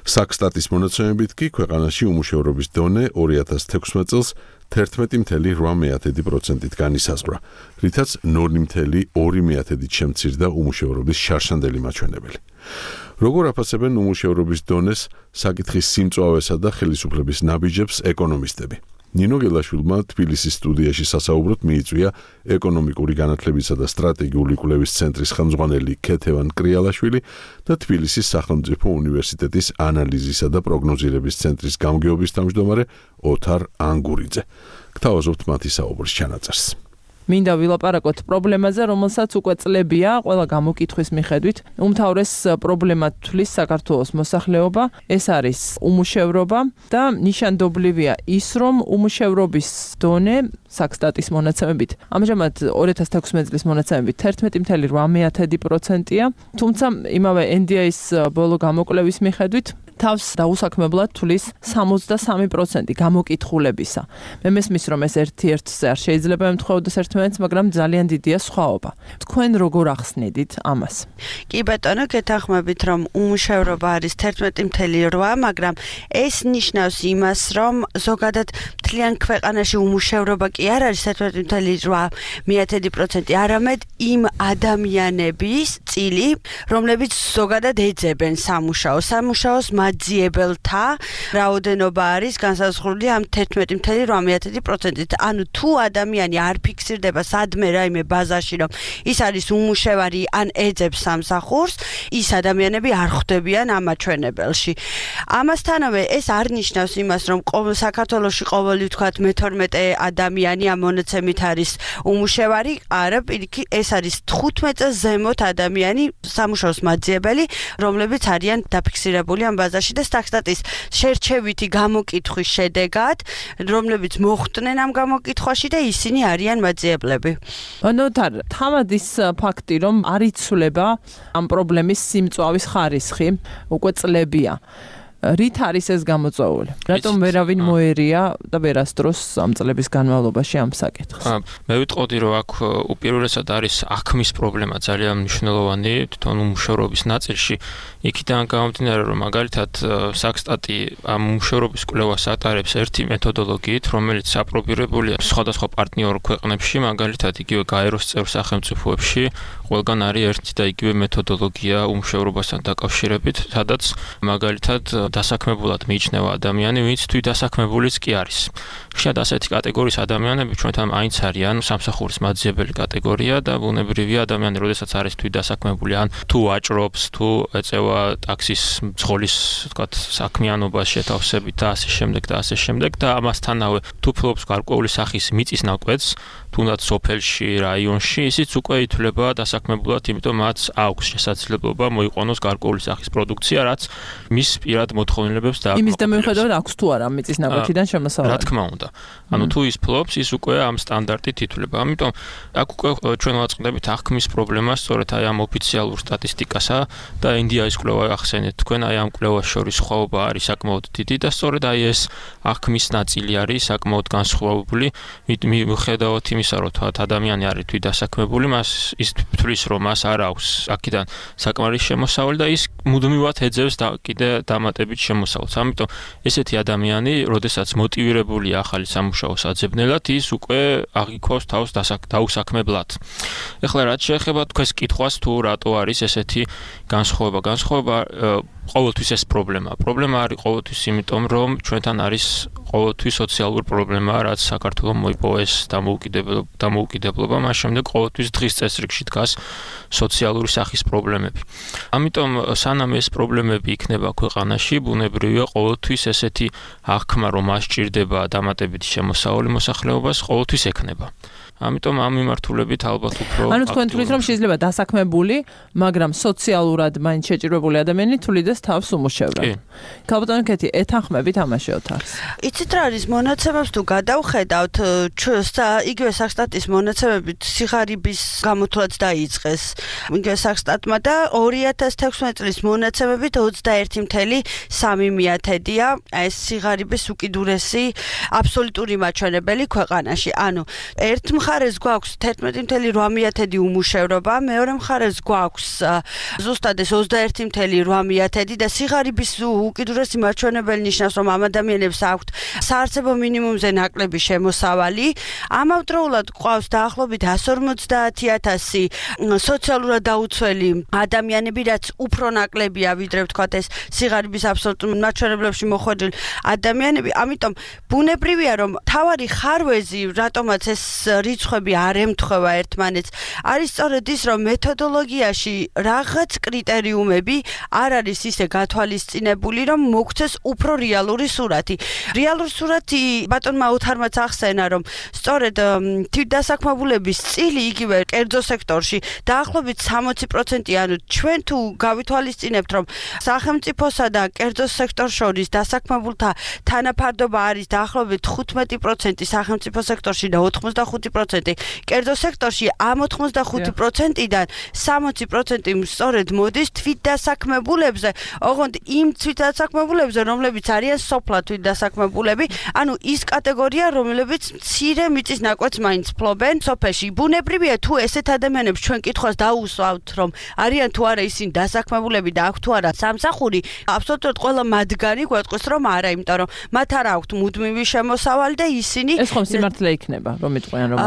საქსტატის მონაცემებით კი ქვეყანაში უმუშევრობის დონე ორი ათას თექვსმეტ წელს თერთმეტი მცდელობა რვა პროცენტით განისაზღვრა, რითაც ნული მცდელობა ორი პროცენტით შემცირდა უმუშევრობის შარშანდელი მაჩვენებელი. როგორ აფასებენ უმუშევრობის დონეს, საკითხის სიმწვავესა და ხელისუფლების ნაბიჯებს ეკონომისტები? ნინო გელაშვილმა თბილისის სტუდიაში სასაუბროდ მიიწვია ეკონომიკური განათლებისა და სტრატეგიული კვლევის ცენტრის ხელმძღვანელი ქეთევან კრიალაშვილი და თბილისის სახელმწიფო უნივერსიტეტის ანალიზისა და პროგნოზირების ცენტრის გამგეობის თავმჯდომარე ოთარ ანგურიძე. გთავაზობთ მათი საუბრის ჩანაწერს. მინდა ვილაპარაკოთ პრობლემაზე, რომელსაც უკვე წლებია ყველა გამოკითხვის მიხედვით უმთავრეს პრობლემად თვლის საქართველოს მოსახლეობა, ეს არის უმუშევრობა და ნიშანდობლივია ის, რომ უმუშევრობის დონე საქსტატის მონაცემებით ამჟამად ორი ათას თექვსმეტ წლის მონაცემებით თერთმეტი პროცენტი რვა პროცენტია, თუმცა იმავე ენ დი ეის ბოლო გამოკვლევის მიხედვით თავს დაუსაქმებლად თვლის სამოცდასამი პროცენტი გამოკითხულებისა. მე მესმის, რომ ეს ერთ-ერთზე არ შეიძლება ემთხვეოდეს ერთმანეთს, მაგრამ ძალიან დიდია სხვაობა. თქვენ როგორ ახსნედით ამას? კი ბატონო, გეთანხმებით, რომ უმუშევრობა არის თერთმეტი პროცენტი რვა, მაგრამ ეს ნიშნავს იმას, რომ ზოგადად მთლიან ქვეყანაში უმუშევრობა კი არ არის თერთმეტი პროცენტი რვა პროცენტი, არამედ იმ ადამიანების წილი, რომლებიც ზოგადად ეძებენ სამუშაოს. სამუშაოს მაძიებელთა რაოდენობა არის განსაზღვრული ამ თერთმეტი პროცენტი რვა პროცენტით. ანუ თუ ადამიანი არ ფიქსირდება სადმე რაიმე ბაზაში, რომ ის არის უმუშევარი ან ეძებს სამსახურს, ის ადამიანები არ ხვდებიან ამ მაჩვენებელში. ამასთანავე ეს არ ნიშნავს იმას, რომ საქართველოში ყოველი ვთქვათ მეთორმეტე ადამიანი ამ მონაცემით არის უმუშევარი, არა, პირიქით ეს არის თხუთმეტ წელს ზემოთ ადამიანი სამუშაოს მაძიებელი, რომლებიც არიან დაფიქსირებული ამ ბაზაში და სტატის შერჩევითი გამოკითხვის შედეგად, რომლებიც მოხვდნენ ამ გამოკითხვაში და ისინი არიან მაძიებლები. ნოთარ, თავად ის ფაქტი, რომ არ იცვლება ამ პრობლემის სიმწვავის ხარისხი, უკვე წლებია. რით არის ეს გამოწვეული? რატომ ვერავინ მოერია და ვერასდროს ამ წლების განმავლობაში ამ საკითხს? მე ვიტყოდი, რომ აქ უპირველესად არის აღქმის პრობლემა ძალიან მნიშვნელოვანი თვითონ უმუშევრობის ნაწილში. იქიდან გამომდინარე, რომ მაგალითად საქსტატი ამ უმუშევრობის კვლევას ატარებს ერთი მეთოდოლოგიით, რომელიც აპრობირებულია სხვადასხვა პარტნიორ ქვეყნებში, მაგალითად იგივე გაეროს წევრ სახელმწიფოებში, ყველგან არის ერთი და იგივე მეთოდოლოგია უმუშევრობასთან დაკავშირებით, სადაც მაგალითად დასაქმებულად მიიჩნევა ადამიანი, ვინც თვითდასაქმებულიც კი არის. ხშირად ასეთი კატეგორიის ადამიანები ჩვენთან მაინც არიან სამსახურის მაძიებელი კატეგორია და ბუნებრივია ადამიანი, როდესაც არის თვითდასაქმებული, ან თუ ვაჭრობს, თუ ეწევა ტაქსის მძღოლის, ვთქვათ, საქმიანობას შეთავსებით და ასე შემდეგ და ასე შემდეგ და ამასთანავე თუ ფლობს გარკვეული სახის მიწის ნაკვეთს, თუნდაც სოფელში, რაიონში, ისიც უკვე ითვლება დასაქმებულად, იმიტომ მათ აქვს შესაძლებლობა მოიყვანოს გარკვეული სახის პროდუქცია, რაც მის პირად მოთხოვნილებებს და იმის და მიუხედავად აქვს თუ არა მიწის ნაკვეთიდან შემოსავალი. რა თქმა უნდა. ანუ თუ ის ფლობს, ის უკვე ამ სტანდარტით ითვლება. ამიტომ აქ უკვე ჩვენ ვაწყდებით აღქმის პრობლემას, სწორედ აი ამ ოფიციალურ სტატისტიკასა და ინდიის კვლევა ახსენეთ თქვენ, აი ამ კვლევას შორის სხვაობა არის საკმაოდ დიდი და სწორედ აი ეს აღქმის ნაწილი არის საკმაოდ განსხვავებული, მიუხედავად იმისა, რომ თქვათ ადამიანი არის თვითდასაქმებული, მას ის თვლის, რომ მას არ აქვს აქედან საკმარის შემოსავალი და ის მუდმივად ეძებს და კიდე დამატებით შემოსავალს. ამიტომ ესეთი ადამიანი, როდესაც მოტივირებულია ახალი სამუშაოს აძებნელად, ის უკვე აღიქواس თავს დაუსაქმებლად. ეხლა რაც შეეხება თქვენს კითხვას, თუ რატო არის ესეთი განსხვავება, განსხვავება ყოველთვის ეს პრობლემაა. პრობლემა არის ყოველთვის იმიტომ, რომ ჩვენთან არის ყოველთვის სოციალური პრობლემა, რაც საქართველოს მოიპოვეს დამოუკიდებლობა, მას შემდეგ ყოველთვის დღის წესრიგში დგას სოციალური სახის პრობლემები. ამიტომ სანამ ეს პრობლემები იქნება ქვეყანაში, ბუნებრივია ყოველთვის ესეთი აღქმა, რომ მას სჭირდება დამატებითი შემოსავალი მოსახლეობას, ყოველთვის ექნება. ამიტომ ამ მიმართულებით ალბათ უფრო ანუ თქვენ თვლით, რომ შეიძლება დასაქმებული, მაგრამ სოციალურად მაინც შეჭირებული ადამიანი თვლიდეს თავს უმუშევრად. ქალბატონო კეთი, ეთანხმებით ამაშეოთ არის. იცით რა არის მონაცემებს თუ გადავხედავთ, იგივე საქსტატის მონაცემებით სიღარიბის გამოთვლაც დაიწყეს. იგივე საქსტატმა და ორი ათას თექვსმეტ წლის მონაცემებით ოცდაერთი წუთი სამი მიათედია ეს სიღარიბის უკიდურესი აბსოლუტური მაჩვენებელი ქვეყანაში. ანუ ერთ მხარეს გვაქვს თერთმეტი წუთი რვა მიათედი უმუშევრობა, მეორე მხარეს გვაქვს ზუსტად ეს ოცდაერთი წუთი რვა მიათედი და სიღარიბის უკიდურესი მაჩვენებელი ნიშნავს, რომ ამ ადამიანებს აქვთ საარსებო მინიმუმზე ნაკლები შემოსავალი. ამავდროულად გვყავს დაახლოებით εκατს ორმოცდაათი ათასი სოციალურად დაუცველი ადამიანები, რაც უფრო ნაკლებია, ვიდრე ვთქვათ ეს სიღარიბის აბსოლუტურ მაჩვენებლებში მოხვედრილი ადამიანები. ამიტომ ბუნებრივია, რომ თავარი ხარვეზი, რატომაც ეს რიცხვები არ ემთხვევა ერთმანეთს, არის სწორედ ის, რომ მეთოდოლოგიაში რაღაც კრიტერიუმები არ არის ისე გათვალისწინებული, რომ მოგვცეს უფრო რეალური სურათი. რეალური სურათი ბატონმა ოთარმაც ახსენა, რომ სწორედ თვითდასაქმებულების წილი იგივე კერძო სექტორში დაახლოებით სამოცი პროცენტი, ანუ ჩვენ თუ გავითვალისწინებთ, რომ სახელმწიფოსა და კერძო სექტორს შორის დასაქმებულთა თანაფარდობა არის დაახლოებით თხუთმეტი პროცენტი სახელმწიფო სექტორში და ოცდახუთი პროცენტი კერძო სექტორში, ამ ოცდახუთი პროცენტიდან სამოცი პროცენტი სწორედ მოდის თვითდასაქმებულებზე, ოღონდ იმ თვითდასაქმებულებზე, რომლებიც არიან სოფლად თვითდასაქმებულები, ანუ ის კატეგორია, რომლებიც მცირე მიწის ნაკვეთს მაინც ფლობენ სოფელში. ბუნებრივია, თუ ესეთ ადამიანებს ჩვენ კითხვას დაუსვავთ, რომ არიან თუ არა ისინი დასაქმებულები და აქვთ თუ არა სამსახური, აბსოლუტურად ყველა მათგანი გვეტყვის, რომ არა, იმიტომ რომ მათ არ აქვთ მუდმივი შემოსავალი და ისინი ეს ხომ სიმართლე იქნება, რომ იტყვიან რომ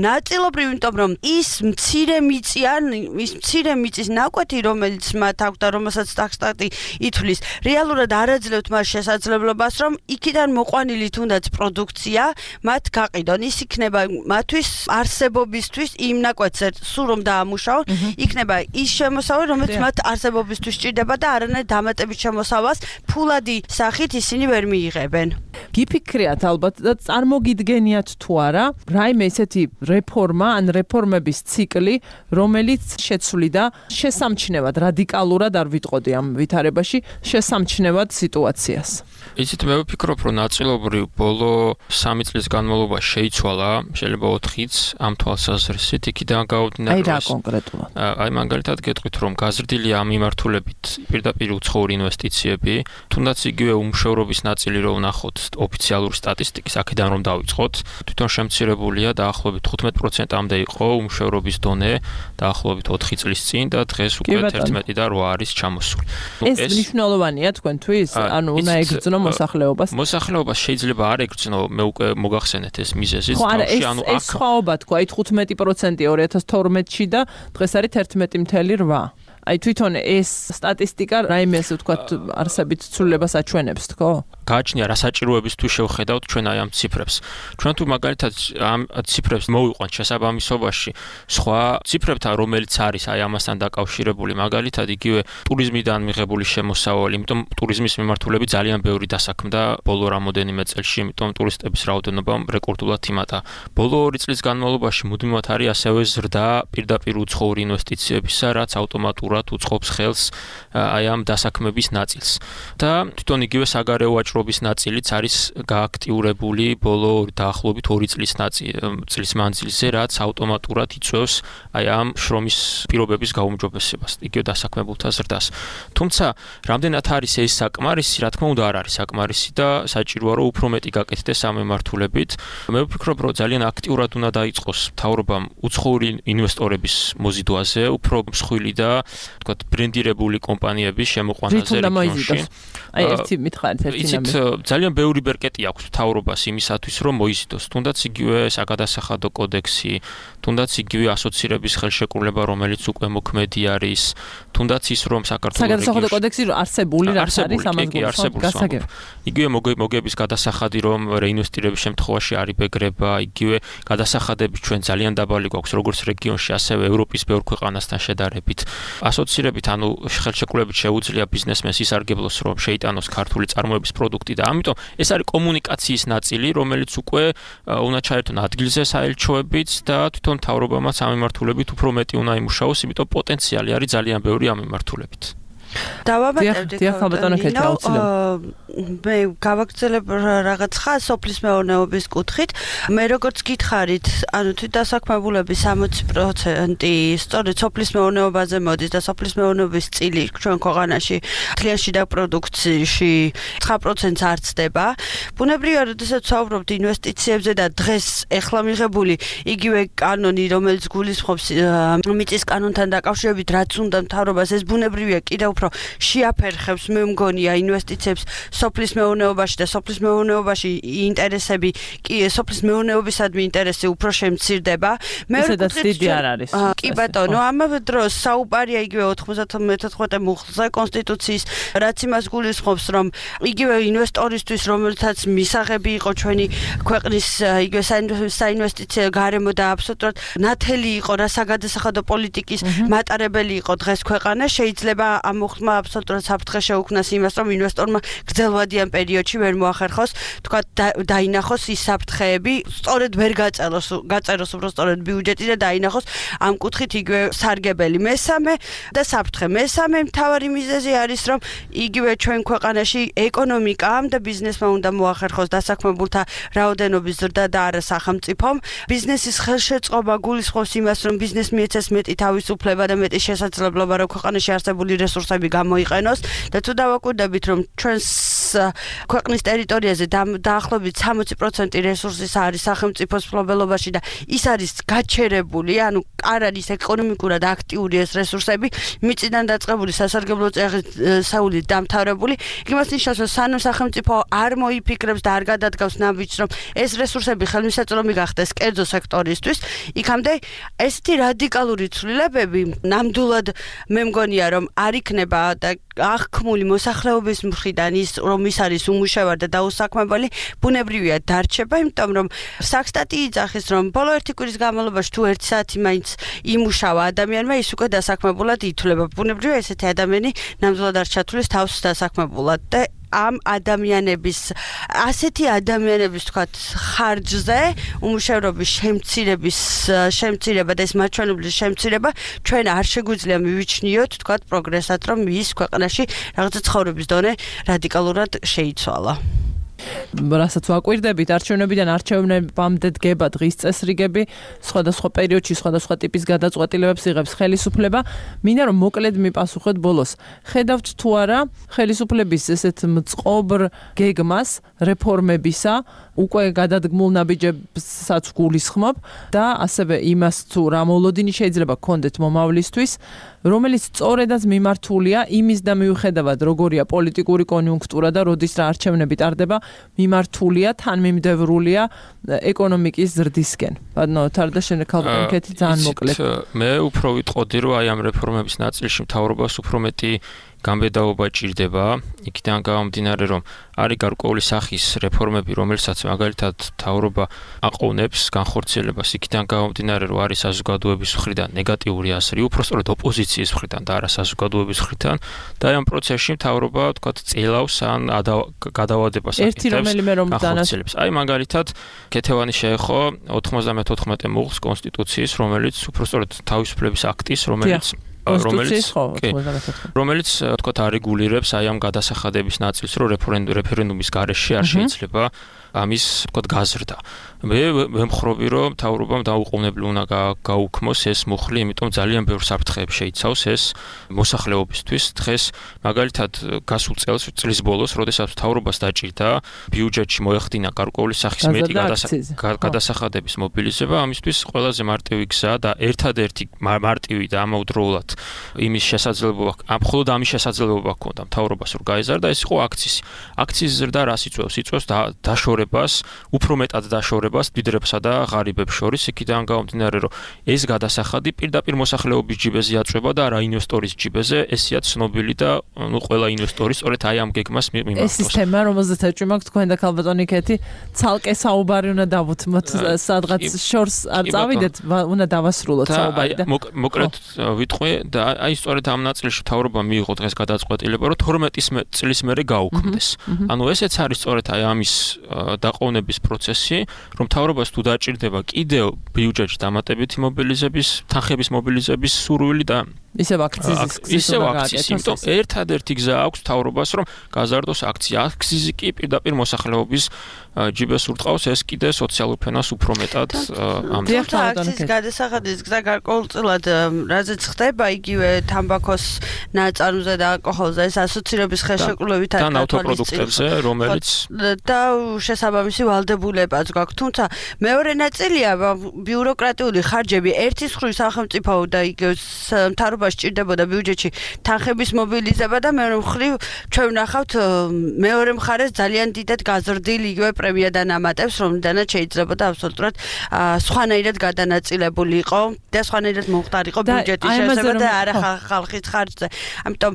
ნაწილობრივ, იმიტომ რომ ის მცირე მიწი ან ის მცირე მიწის ნაკვეთი, რომელიც მათ აქვს და რომელსაც საქსტატი ითვლის, რეალურად არ აძლევთ მას შესაძლებლობას, რომ იქიდან მოყვანილი თუნდაც პროდუქცია მათ გაყიდონ. ის იქნება მათთვის არსებობისთვის იმ ნაკვეთზე სულ რომ დაამუშავონ, იქნება ის შემოსავალი, რომელიც მათ არსებობისთვის სჭირდება და არანაირ დამატებით შემოსავალს ფულადი სახით ისინი ვერ მიიღებენ. გიფიქრიათ ალბათ და წარმოგიდგენიათ თუ არა, რაიმე ესეთი რეფორმა ან რეფორმების ციკლი, რომელიც შეცვლიდა შესამჩნევად რადიკალურად არ ვიტყოდი ამ ვითარებაში, შესამჩნევად სიტუაციას. იცით, მე ვფიქრობ, რომ ნაწილობრივ ბოლო სამი წლის განმავლობაში შეიცვალა, შეიძლება ოთხიც ამ თვალსაზრისით იქიდან გავუდინარ. აი რა კონკრეტულად? აი მაგალითად გეტყვით, რომ გაზრდილია ამ მიმართულებით პირდაპირ უცხოური ინვესტიციები, თუნდაც იგივე უმუშევრობის ნაწილი რო ვნახოთ ოფიციალური სტატისტიკის, აქედან რომ დავიწყოთ, თვითონ შემცირებულია დაახლოებით თხუთმეტ პროცენტამდე იყო უმუშევრობის დონე დაახლოებით ოთხი წლის წინ და დღეს უკვე თერთმეტი და რვა არის ჩამოსული. ეს მნიშვნელოვანია თქვენთვის? ანუ უნდა ეგრძნო მოსახლეობას? მოსახლეობას შეიძლება არ ეგრძნო, მე უკვე მოგახსენეთ ეს მიზეზი. ხო, არა, ეს ეს სხვაობა თქვა, აი თხუთმეტი პროცენტი ორი ათას თორმეტში და დღეს არის თერთმეტი წუთი რვა. აი თვითონ ეს სტატისტიკა რაიმე ასე ვთქვათ არსებით ცვლილებას აჩვენებს, თქო? გააჩნია რა საჭიროებისთვის შევხედავთ ჩვენ აი ამ ციფრებს. ჩვენ თუ მაგალითად ამ ციფრებს მოვიყვანთ შესაბამისობაში სხვა ციფრებთან, რომელიც არის აი ამასთან დაკავშირებული, მაგალითად იგივე ტურიზმიდან მიღებული შემოსავალი, იმიტომ ტურიზმის მიმართულებით ძალიან ბევრი დასაქმდა ბოლო რამოდენიმე წელში, იმიტომ ტურისტების რაოდენობამ რეკორდულად იმატა. ბოლო ორი წლის განმავლობაში მუდმივად არის ასევე ზრდა პირდაპირ უცხოური ინვესტიციებისა, რაც ავტომატურად უწყობს ხელს აი ამ დასაქმების ნაწილს. და თვითონ იგივე საგარეო ვაჭრობის ნაწილიც არის გააქტიურებული ბოლო დაახლოებით ორი წლის წლის მანძილზე, რაც ავტომატურად იწვევს აი ამ შრომის პირობების გაუმჯობესებას, იგივე დასაქმებულთა ზრდას. თუმცა, რამდენად არის ეს საკმარისი, რა თქმა უნდა არ არის საკმარისი და საჭიროა რომ უფრო მეტი გაკეთდეს ამ მიმართულებით. მე ვფიქრობ, რომ ძალიან აქტიურად უნდა დაიწყოს მთავრობამ უცხოური ინვესტორების მოზიდვაზე, უფრო მსხვილი და თქვათ ბრენდირებული კომპანიების შემოყვანაზე რეგიონში. აი ერთი მითხარით ერთი ნამი. ძალიან ბევრი ბერკეტი აქვს მთავრობას იმისათვის, რომ მოიზიდოს. თუნდაც იგივე საგადასახადო კოდექსი, თუნდაც იგივე ასოცირების ხელშეკრულება, რომელიც უკვე მოქმედი არის, თუნდაც ის რომ საქართველოს საგადასახადო კოდექსი არსებული რა არის ამას გასაგებ. იგივე მოგების გადასახადი, რომ რეინვესტირების შემთხვევაში არ იბეგრება, იგივე გადასახადები ჩვენ ძალიან დაბალი გვაქვს, როგორც რეგიონში, ასევე ევროპის ბევრ ქვეყანასთან შედარებით. ასოცირებით, ანუ ხელშეკრულებით შეუძლია ბიზნესმენს ისარგებლოს, რომ შეიტანოს ქართული წარმოების პროდუქტი და ამიტომ ეს არის კომუნიკაციის ნაწილი, რომელიც უკვე უნდა ჩაერთონ ადგილზე საელჩოებით და თვითონ მთავრობამაც ამ მიმართულებით უფრო მეტი უნდა იმუშაოს, იმიტომ პოტენციალი არის ძალიან ბევრი ამ მიმართულებით. დავაბატებდი მე გავაგრძელებ რაღაც ხას სოფლის მეურნეობის კუთხით. მე როგორც გითხარით, ანუ თვით დასაქმებულების სამოცი პროცენტი სწორედ სოფლის მეურნეობაზე მოდის და სოფლის მეურნეობის წილი ჩვენ ქვეყანაში მთლიან შიდა პროდუქციაში ცხრა პროცენტს არ ცდება. ბუნებრივია, როდესაც ვსაუბრობთ ინვესტიციებზე და დღეს ეხლა მიღებული იგივე კანონი, რომელიც გულისხმობს მიწის კანონთან დაკავშირებით, რაც უნდა მთავრობას, ეს ბუნებრივია კიდევ უფრო შეაფერხებს, მე მგონია, ინვესტიციებს სოფლის მეურნეობაში და სოფლის მეურნეობაში ინტერესები, კი სოფლის მეურნეობისადმი ინტერესი უფრო შემცირდება. მე ვფიქრობ, არ არის. კი ბატონო, ამავე დროს საუბარია იგივე ოთხმოცდამეთოთხმეტე მუხლზე კონსტიტუციის, რაც იმას გულისხმობს, რომ იგივე ინვესტორისთვის, რომელთაც მისაღები იყო ჩვენი ქვეყნის იგივე საინვესტიციო გარემო და აბსოლუტურად ნათელი იყო რა საგადასახადო პოლიტიკის მატარებელი იყო დღეს ქვეყანა, შეიძლება ამ მოხმა აბსოლუტურად საფრთხე შეუქმნას იმას, რომ ინვესტორმა გრძელვადიან პერიოდში ვერ მოახერხოს, თქვა დაინახოს ის საფრთხეები, სწორედ ვერ გაწელოს, გაწეროს უფრო სწორედ ბიუჯეტი და დაინახოს ამ კუთხით იგივე სარგებელი. მესამე და საფრთხე. მესამე მთავარი მიზეზი არის, რომ იგივე ჩვენ ქვეყანაში ეკონომიკამ და ბიზნესმა უნდა მოახერხოს დასაქმებულთა რაოდენობის ზრდა და არა სახელმწიფომ. ბიზნესის ხელშეწყობა გულისხმობს იმას, რომ ბიზნეს მიეცეს მეტი თავისუფლება და მეტი შესაძლებლობა, რომ ქვეყანაში არსებული რესურსები გამოიყენოს და თუ დავაკვირდებით, რომ ჩვენს ქვეყნის ტერიტორიაზე დაახლოებით სამოცი პროცენტი რესურსის არის სახელმწიფოს მფლობელობაში და ის არის გაჩერებული, ანუ არ არის ეკონომიკურად აქტიური ეს რესურსები, მიწიდან დაწყებული სასარგებლო წესრიგით დამთავრებული. იმას ნიშნავს, რომ სანამ სახელმწიფო არ მოიფიქრებს და არ გადადგავს ნაბიჯს, რომ ეს რესურსები ხელმისაწვდომი გახდეს კერძო სექტორისთვის, იქამდე ესეთი რადიკალური ცვლილებები ნამდვილად მე მგონია, რომ არ იქნება და აღქმული მოსახლეობის მხრიდან ის, რომ ის არის უმუშევარი და დაუსაქმებელი, ბუნებრივია დარჩება, იმიტომ რომ საქსტატი იძახის, რომ ბოლო ერთი კვირის განმავლობაში თუ ერთი საათი მაინც იმუშავა ადამიანმა, ის უკვე დასაქმებულად ითვლება. ბუნებრივია ესეთი ადამიანი ნამდვილად არ ჩათვლის თავს დასაქმებულად და ამ ადამიანების ასეთი ადამიანების თქვათ ხარჯზე უმუშევრობის შემცირების შემცირება და ეს მაჩვენებლის შემცირება ჩვენ არ შეგვიძლია მივიჩნიოთ თქვათ პროგრესად რომ ის ქვეყანაში რაღაცა ცხოვრების დონე რადიკალურად შეიცვალა. რასაც ვაკვირდებით არჩევნებიდან არჩევნებამდე დგება დღის წესრიგები, სხვადასხვა პერიოდში სხვადასხვა ტიპის გადაწყვეტილებებს იღებს ხელისუფლება. მინდა რომ მოკლედ მიპასუხოთ ბოლოს. ხედავთ თუ არა ხელისუფლების ესეთ მწყობრ გეგმას რეფორმებისა, უკვე გადადგმულ ნაბიჯებსაც გულისხმობ და ასევე იმას თუ რა მოლოდინი შეიძლება გქონდეთ მომავლისთვის, რომელიც სწორედაც მიმართულია იმის და მიუხედავად როგორია პოლიტიკური კონიუნქტურა და როდის რა არჩევნები ტარდება, მიმართულია თანმიმდევრულია ეკონომიკის ზრდისკენ. ბატონო თარდაშენე ქალბატონკეთი ძალიან მოკლედ. მე უფრო ვიტყოდი რომ აი ამ რეფორმების ნაწილში მთავრობას უფრო მეტი გამბედაობა ჭირდება, იქიდან გამომდინარე რომ არის გარკვეული სახის რეფორმები, რომელსაც მაგალითად მთავრობა აყოვნებს განხორციელებას, იქიდან გამომდინარე რომ არის საზოგადოების მხრიდან ნეგატიური აზრი, უფრო სწორედ ოპოზიციის მხრიდან და არა საზოგადოების მხრიდან და ამ პროცესში მთავრობა თქვათ წელავს ან გადავადებას აკეთებს. ერთი რომელიმე რომ განხორციელებს. აი მაგალითად ქეთევანი შეეხო ოთხმოცდამეთოთხმეტე მუხლს კონსტიტუციის, რომელიც უფრო სწორედ თავისუფლების აქტის, რომელიც რომელიც რომელიც თქვათ არეგულირებს აი ამ გადასახადების ნაწილს, რომ რეფერენდუმის გარეშე არ შეიძლება ამის თქვათ გაზრდა. მე ვემხრობი რომ მთავრობამ დაუყოვნებლივ უნდა გაუქმოს ეს მუხლი, იმიტომ ძალიან ბევრ საფრთხეებს შეიცავს ეს მოსახლეობისთვის. დღეს მაგალითად გასულ წელს წლის ბოლოს, როდესაც მთავრობას დაჭირდა ბიუჯეტში მოეხდინა გარკვეული სახის მეტი გადასახადების მობილიზება, ამისთვის ყველაზე მარტივი გზა და ერთადერთი მარტივი და ამავდროულად იმის შესაძლებლობა, მხოლოდ ამის შესაძლებლობა ჰქონდა მთავრობას რომ გაეზარდა, ეს იყო აქციის. აქციის ზრდა რას იწვევს? იწვევს დაშორებას, უფრო მეტად დაშორებას დიდრებსა და ღარიბებს შორის, იქიდან გამომდინარე რომ ეს გადასახადი პირდაპირ მოსახლეობის ჯიბეზე აწვება და არა ინვესტორის ჯიბეზე, ესეა ცნობილი და ნუ ყველა ინვესტორი სწორედ აი ამ გეგმას მიმართავს. ეს სისტემა, რომელზეც ეჭვი მაქვს თქვენ და ქალბატონი ქეთი, ცალკე საუბარი უნდა დავუთმოთ, სადღაც შორს არ წავიდეთ, უნდა დავასრულოთ საუბარი და მოკლედ ვიტყვი და აი სწორედ ამ ნაწილში მთავრობა მიიღო დღეს გადაწყვეტილება, რომ თორმეტი წლის მერე გაუქმდეს. ანუ ესეც არის სწორედ აი ამის დაყოვნების პროცესი, რომ მთავრობას თუ დაჭირდება კიდევ ბიუჯეტში დამატებითი მობილიზების, თანხების მობილიზების სურვილი და ისევ აქციზის ისევ აქციზი, იმიტომ ერთადერთი გზა აქვს მთავრობას, რომ გაზარდოს აქცია. აქციზი კი პირდაპირ მოსახლეობის ჯიბეს ურტყავს, ეს კიდე სოციალურ ფენას უფრო მეტად ამდენ. აქციის გადასახადის გზა გარკვეულწილად რაზეც ხდება, იგივე თამბაქოს ნაწარმოზე და ალკოჰოლზე ეს ასოცირების ხელშეკრულებით არის და ავტოპროდუქტებზე, რომელიც და შესაბამისი ვალდებულებაც გაქვს. თუმცა მეორე ნაწილია ბიუროკრატიული ხარჯები, ერთის მხრივ სახელმწიფო და იგივე მთავრობა სჭირდებოდა ბიუჯეტში თანხების მობილიზება და მეორე მხრივ ჩვენ ვნახავთ მეორე მხარეს ძალიან დიდად გაზრდილ იგივე პრემია და ნამატებს, რომლიდანაც შეიძლებოდა აბსოლუტურად სხვანაირად გადანაწილებული იყო და სხვანაირად მომხდარიყო ბიუჯეტის შესაძლებლობა და არა ხალხის ხარჯზე. ამიტომ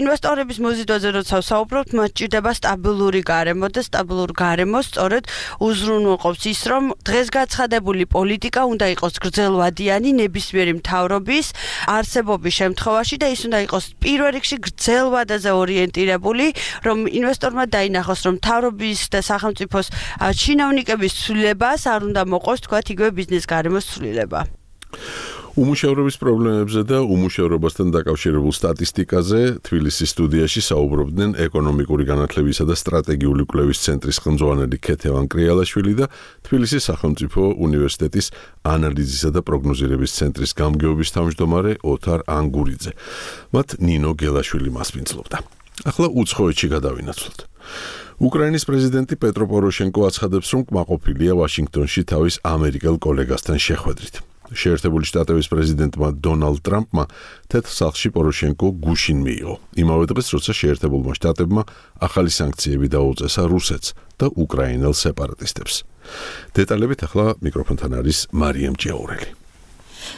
ინვესტორების მოზიდვაზე როცა ვსაუბრობთ, მათ სჭირდება სტაბილური გარემო და სტაბილურ გარემოს სწორედ უზრუნველყოფს ის, რომ დღეს გაცხადებული პოლიტიკა უნდა იყოს გრძელვადიანი ნებისმიერი მთავრობის არსებობის შემთხვევაში და ის უნდა იყოს პირველ რიგში გრძელვადაზე ორიენტირებული, რომ ინვესტორმა დაინახოს, რომ მთავრობის და სახელმწიფოს ჩინოვნიკების ცვლილებას არ უნდა მოყოს თქვათ იგივე ბიზნეს გარემოს ცვლილება. უმუშევრობის პრობლემებზე და უმუშევრობასთან დაკავშირებულ სტატისტიკაზე თბილისის სტუდიაში საუბრობდნენ ეკონომიკური განათლებისა და სტრატეგიული კვლევის ცენტრის ხელმძღვანელი ქეთევან კრიალაშვილი და თბილისის სახელმწიფო უნივერსიტეტის ანალიზისა და პროგნოზირების ცენტრის გამგეობის თავმჯდომარე ოთარ ანგურიძე. მათ ნინო გელაშვილი მასპინძლობდა. ახლა უცხოეთში გადავინაცვლოთ. უკრაინის პრეზიდენტი პეტრო პოროშენკო აცხადებს, რომ კმაყოფილია ვაშინგტონში თავის ამერიკელ კოლეგასთან შეხვედრით. შეერთებული შტატების პრეზიდენტმა დონალდ ტრამპმა თეთრ სახლში პოროშენკო გუშინ მიიღო. იმავე დღეს, როცა შეერთებულმა შტატებმა ახალი სანქციები დაუწესა რუსეთს და უკრაინელ სეპარატისტებს. დეტალებით ახლა მიკროფონთან არის მარიამ ჭიაურელი.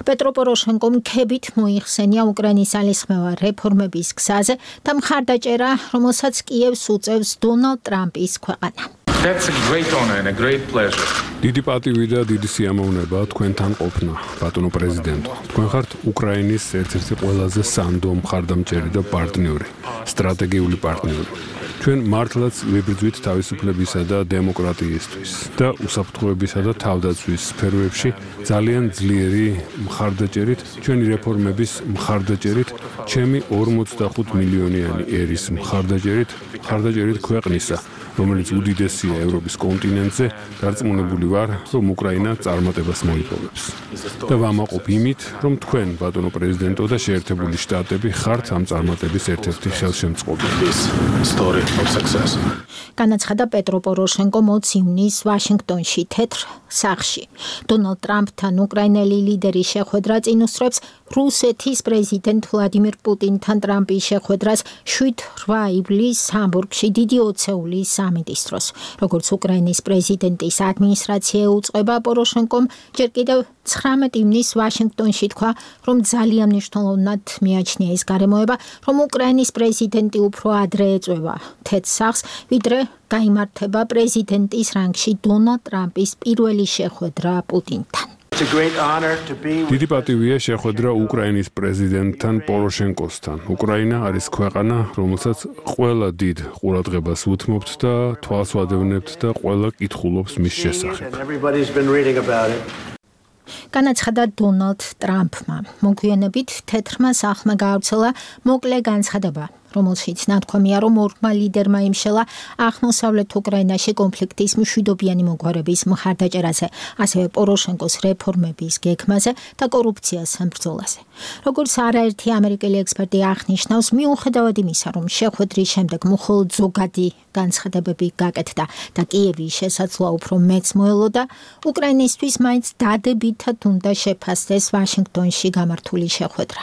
პეტრო პოროშენკომ ქებით მოიხსენია უკრაინის ალისხმევა რეფორმების გზაზე და მხარდაჭერა, რომელსაც კიევს უწევს დონალდ ტრამპის ქვეყანა. That's a great honor and a great pleasure. დიდი პატივი და დიდი სიამოვნება თქვენთან ყოფნა, ბატონო პრეზიდენტო. თქვენ ხართ უკრაინის ერთ-ერთი ყველაზე სანდო მხარდამჭერი და პარტნიორი, სტრატეგიული პარტნიორი. ჩვენ მართლაც ვიბრძვით თავისუფლებისა და დემოკრატიისთვის და უსაფრთხოებისა და თავდაცვის სფეროებში ძალიან ძლიერი მხარდაჭერით, ჩვენი რეფორმების მხარდაჭერით, ჩემი ორმოცდახუთ მილიონიანი ერის მხარდაჭერით, მხარდაჭერით ქვეყნისა, რომელიც უდიდესია ევროპის კონტინენტზე, დარწმუნებული ვარ, რომ უკრაინა წარმატებას მოიპოვებს. და ვამაყობ იმით, რომ თქვენ, ბატონო პრეზიდენტო და შეერთებული შტატები ხართ ამ წარმატების ერთ-ერთი ხელშემწყობელი. განაცხადა პეტრო პოროშენკო მოც ივნისს ვაშინგტონში თეთრ სახლში. დონალდ ტრამპთან უკრაინელი ლიდერი შეხვედრა წინ უსწრებს რუსეთის პრეზიდენტ ვლადიმირ პუტინთან ტრამპის შეხვედრას შვიდ რვა ივლისს ჰამბურგში დიდი ოცეულის სამიტის დროს. როგორც უკრაინის პრეზიდენტის ადმინისტრაცია უწყება, პოროშენკომ ჯერ კიდევ ცხრამეტ ივნისს ვაშინგტონში თქვა, რომ ძალიან მნიშვნელოვნად მიაჩნია ის გარემოება, რომ უკრაინის პრეზიდენტი უფრო ადრე ეწვევა თეთრ სახლს, ვიდრე გაიმართება პრეზიდენტის რანგში დონალდ ტრამპის პირველი შეხვედრა პუტინთან. დიდი პატივია შეხვედრა უკრაინის პრეზიდენტთან პოროშენკოსთან. უკრაინა არის ქვეყანა, რომელსაც ყველა დიდ ყურადღებას უთმობთ და თვალს ვადევნებთ და ყველა კითხულობს მის შესახებ. განაცხადა დონალდ ტრამპმა. მოგვიანებით თეთრმა სახლმა გაავრცელა მოკლე განცხადება, რომელშიც ნათქვამია, რომ ორმა ლიდერმა იმშელა აღმოსავლეთ უკრაინაში კონფლიქტის მშვიდობიანი მოგვარების მხარდაჭერაზე, ასევე პოროშენკოს რეფორმების გეგმაზე და კორუფციას ბრძოლაზე. როგორც არაერთი ამერიკელი ექსპერტი აღნიშნავს, მიუხედავად იმისა, რომ შეხვედრის შემდეგ მხოლოდ ზოგადი განცხადებები გაკეთდა და კიევის შესაძლოა უფრო მეც მოელოდა, უკრაინისთვის მაინც დადებითად უნდა შეფასდეს ვაშინგტონში გამართული შეხვედრა.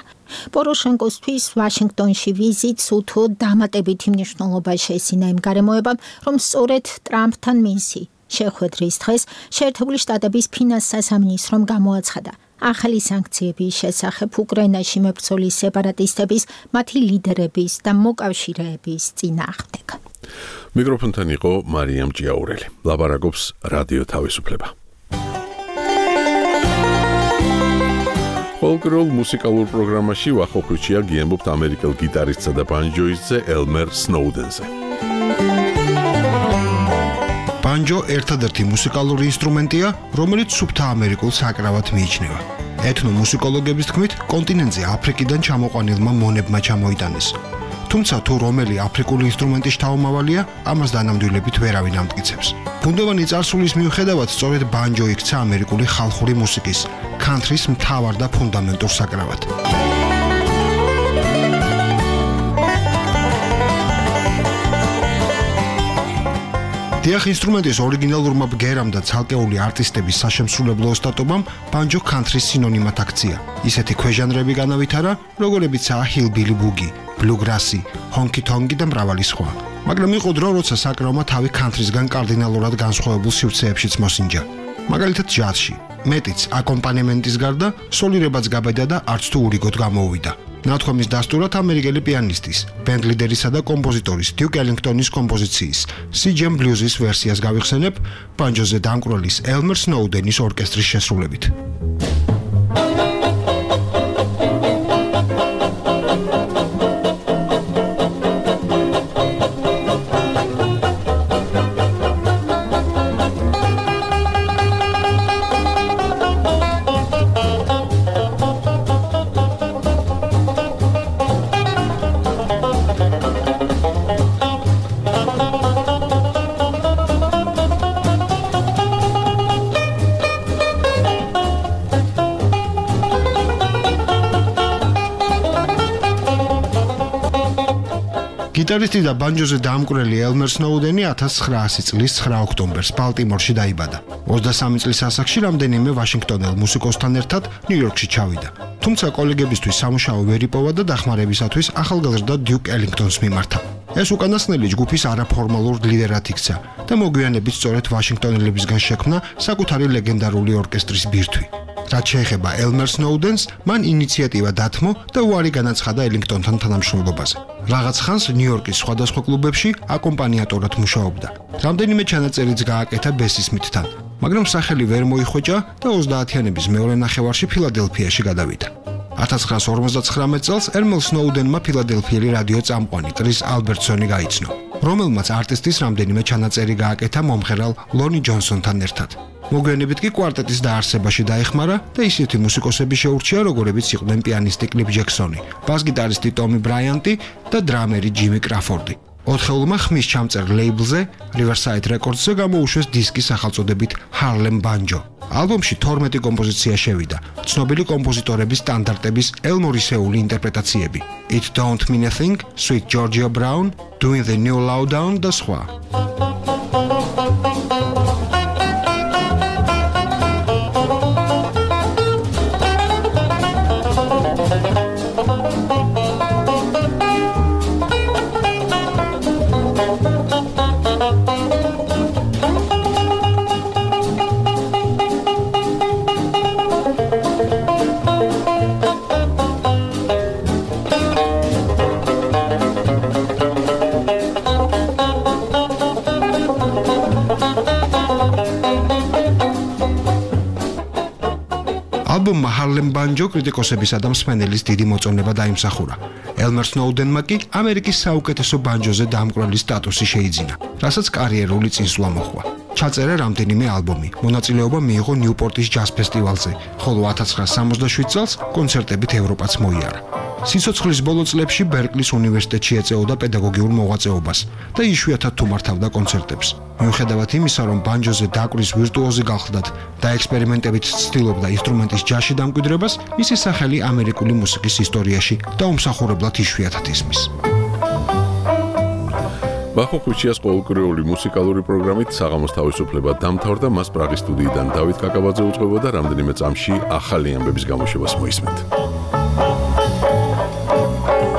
პოროშენკოსთვის ვაშინგტონში ვიზიტს უთო დამატებითი მნიშვნელობა შეესინა იმ გარემოებამ, რომ სწორედ ტრამპთან მისი შეხვედრის დღეს შეერთებული შტატების ფინანსთა სამინისტრომ გამოაცხადა ახალი სანქციების შესახებ უკრაინაში მებრძოლი სეპარატისტების, მათი ლიდერების და მოკავშირეების წინააღმდეგ. მიკროფონთან იყო მარიამ ჭიაურელი. ლაბარაკობს რადიო თავისუფლება. ფოლკლორულ მუსიკალურ პროგრამაში ვახოხუჩია გიემბობთ ამერიკელ გიტარისტსა და ბანჯოისტზე ელმერ სნოუდენზე. ბანჯო ერთადერთი მუსიკალური ინსტრუმენტია, რომელიც სუფთა ამერიკულ საკრავად მიიჩნევა. ეთნომუსიკოლოგების თქმით, კონტინენტზე აფრიკიდან ჩამოყვანილმა მონებმა ჩამოიტანეს. თუმცა თუ რომელი აფრიკული ინსტრუმენტი შთამომავალია, ამას დანამდვილებით ვერავინ ამტკიცებს. ბუნდოვანი წარსულის მიუხედავად, სწორედ ბანჯო იქცა ამერიკული ხალხური მუსიკის, კანთრის მთავარ და ფუნდამენტურ საკრავად. დიახ, ინსტრუმენტის ორიგინალურმა ბგერამ და ცალკეული არტისტების საშემსრულებლო ოსტატობამ ბანჯო კანთრის სინონიმად აქცია. ისეთი ქვეჟანრები განავითარა, როგორებიცაა ჰილბილი ბუგი, ბლუგრასი, ჰონკი-თონკი და მრავალი სხვა. მაგრამ იყო დრო, როცა საკრავმა თავი კანთრისგან კარდინალურად განსხვავებულ სივრცეებშიც მოსინჯა. მაგალითად ჯაზში, მეტიც აკომპანემენტის გარდა, სოლირებაც გაბედა და არც თუ ურიგოდ გამოუვიდა. ნათქვამის დასტურად ამერიკელი პიანისტის, ბენდლიდერისა და კომპოზიტორის დიუკ ელინგტონის კომპოზიციის სი ჯემ ბლუზის ვერსიას გავიხსენებ ბანჯოზე დამკვრელის ელმერ სნოუდენის ორკესტრის შესრულებით. გიტარისტი და ბანჯოზე დამკვრელი ელმერ სნოუდენი ათას ცხრაასი წლის ცხრა ოქტომბერს ბალტიმორში დაიბადა. ოცდასამი წლის ასაკში რამდენიმე ვაშინგტონელ მუსიკოსთან ერთად ნიუ-იორკში ჩავიდა. თუმცა კოლეგებისთვის სამუშაო ვერ იპოვა და დახმარებისათვის ახალგაზრდა დიუკ ელინგტონს მიმართა. ეს უკანასკნელი ჯგუფის არაფორმალურ ლიდერად იქცა და მოგვიანებით სწორედ ვაშინგტონელებისგან შექმნა საკუთარი ლეგენდარული ორკესტრის ბირთვი. რაც შეეხება ელმერ სნოუდენს, მან ინიციატივა დათმო და უარი განაცხადა ელინგტონთან თანამშრომლობაზე. რაღაც ხანს ნიუ-იორკის სხვადასხვა კლუბებში აკომპანიატორად მუშაობდა. რამდენიმე ჩანაწერიც გააკეთა ბესისმითთან, მაგრამ სახელი ვერ მოიხვეჭა და ოცდაათიანების მეორე ნახევარში ფილადელფიაში გადავიდა. ათას ცხრაას ორმოცდაცხრამეტ წელს ელმერ სნოუდენმა ფილადელფიელი რადიო წამყვანი კრის ალბერტსონი გაიცნო. რომელმაც არტისტის რამდენიმე ჩანაწერი გააკეთა მომღერალ ლონი ჯონსონთან ერთად. მოგვიანებით კი კვარტეტის დაარსებაში დაეხმარა და ისეთი მუსიკოსები შეურჩია, როგორებიც იყვნენ პიანისტი კლიფ ჯექსონი, ბას-გიტარისტი ტომი ბრაიანტი და დრამერი ჯიმი კრაფორდი. ოთხეულმა ხმის ჩამწერ ლეიბლზე, Riverside Records-ზე გამოუშვეს დისკი სახელწოდებით Harlem Banjo. ალბომში თორმეტი კომპოზიცია შევიდა, ცნობილი კომპოზიტორების სტანდარტების ელმორისეული ინტერპრეტაციები. It Don't Mean a Thing, Sweet Georgia Brown, Doing the New Lowdown და სხვა. ალბომმა Harlem Banjo კრიტიკოსებისა და მსმენელის დიდი მოწონება დაიმსახურა. ელმერ სნოუდენმა კი ამერიკის საუკეთესო ბანჯოზე დამკვრელის სტატუსი შეიძინა, რასაც კარიერული წინსვლა მოჰყვა. ჩაწერა რამდენიმე ალბომი, მონაწილეობა მიიღო ნიუპორტის ჯაზ ფესტივალზე, ხოლო ათას ცხრაასი სამოცდაშვიდ წელს კონცერტებით ევროპაც მოიარა. სიცოცხლის ბოლო წლებში ბერკლის უნივერსიტეტში ეწეოდა პედაგოგიურ მოღვაწეობას და იშვიათად თუ მართავდა კონცერტებს. მიუხედავად იმისა, რომ ბანჯოზე დაკვრის ვირტუოზი გახლდათ და ექსპერიმენტებით ცდილობდა ინსტრუმენტის ჯაზში დამკვიდრებას, მისი სახელი ამერიკული მუსიკის ისტორიაში დაუმსახურებლად იშვიათად ისმის. ბახო ხუჩიას ყოველკვირეული მუსიკალური პროგრამით საღამოს თავისუფლება დამთავრდა, მას პრაღის სტუდიიდან დავით კაკაბაძე უწყებოდა, რამდენიმე წამში ახალი ამბების გამოშვებას მოისმენთ.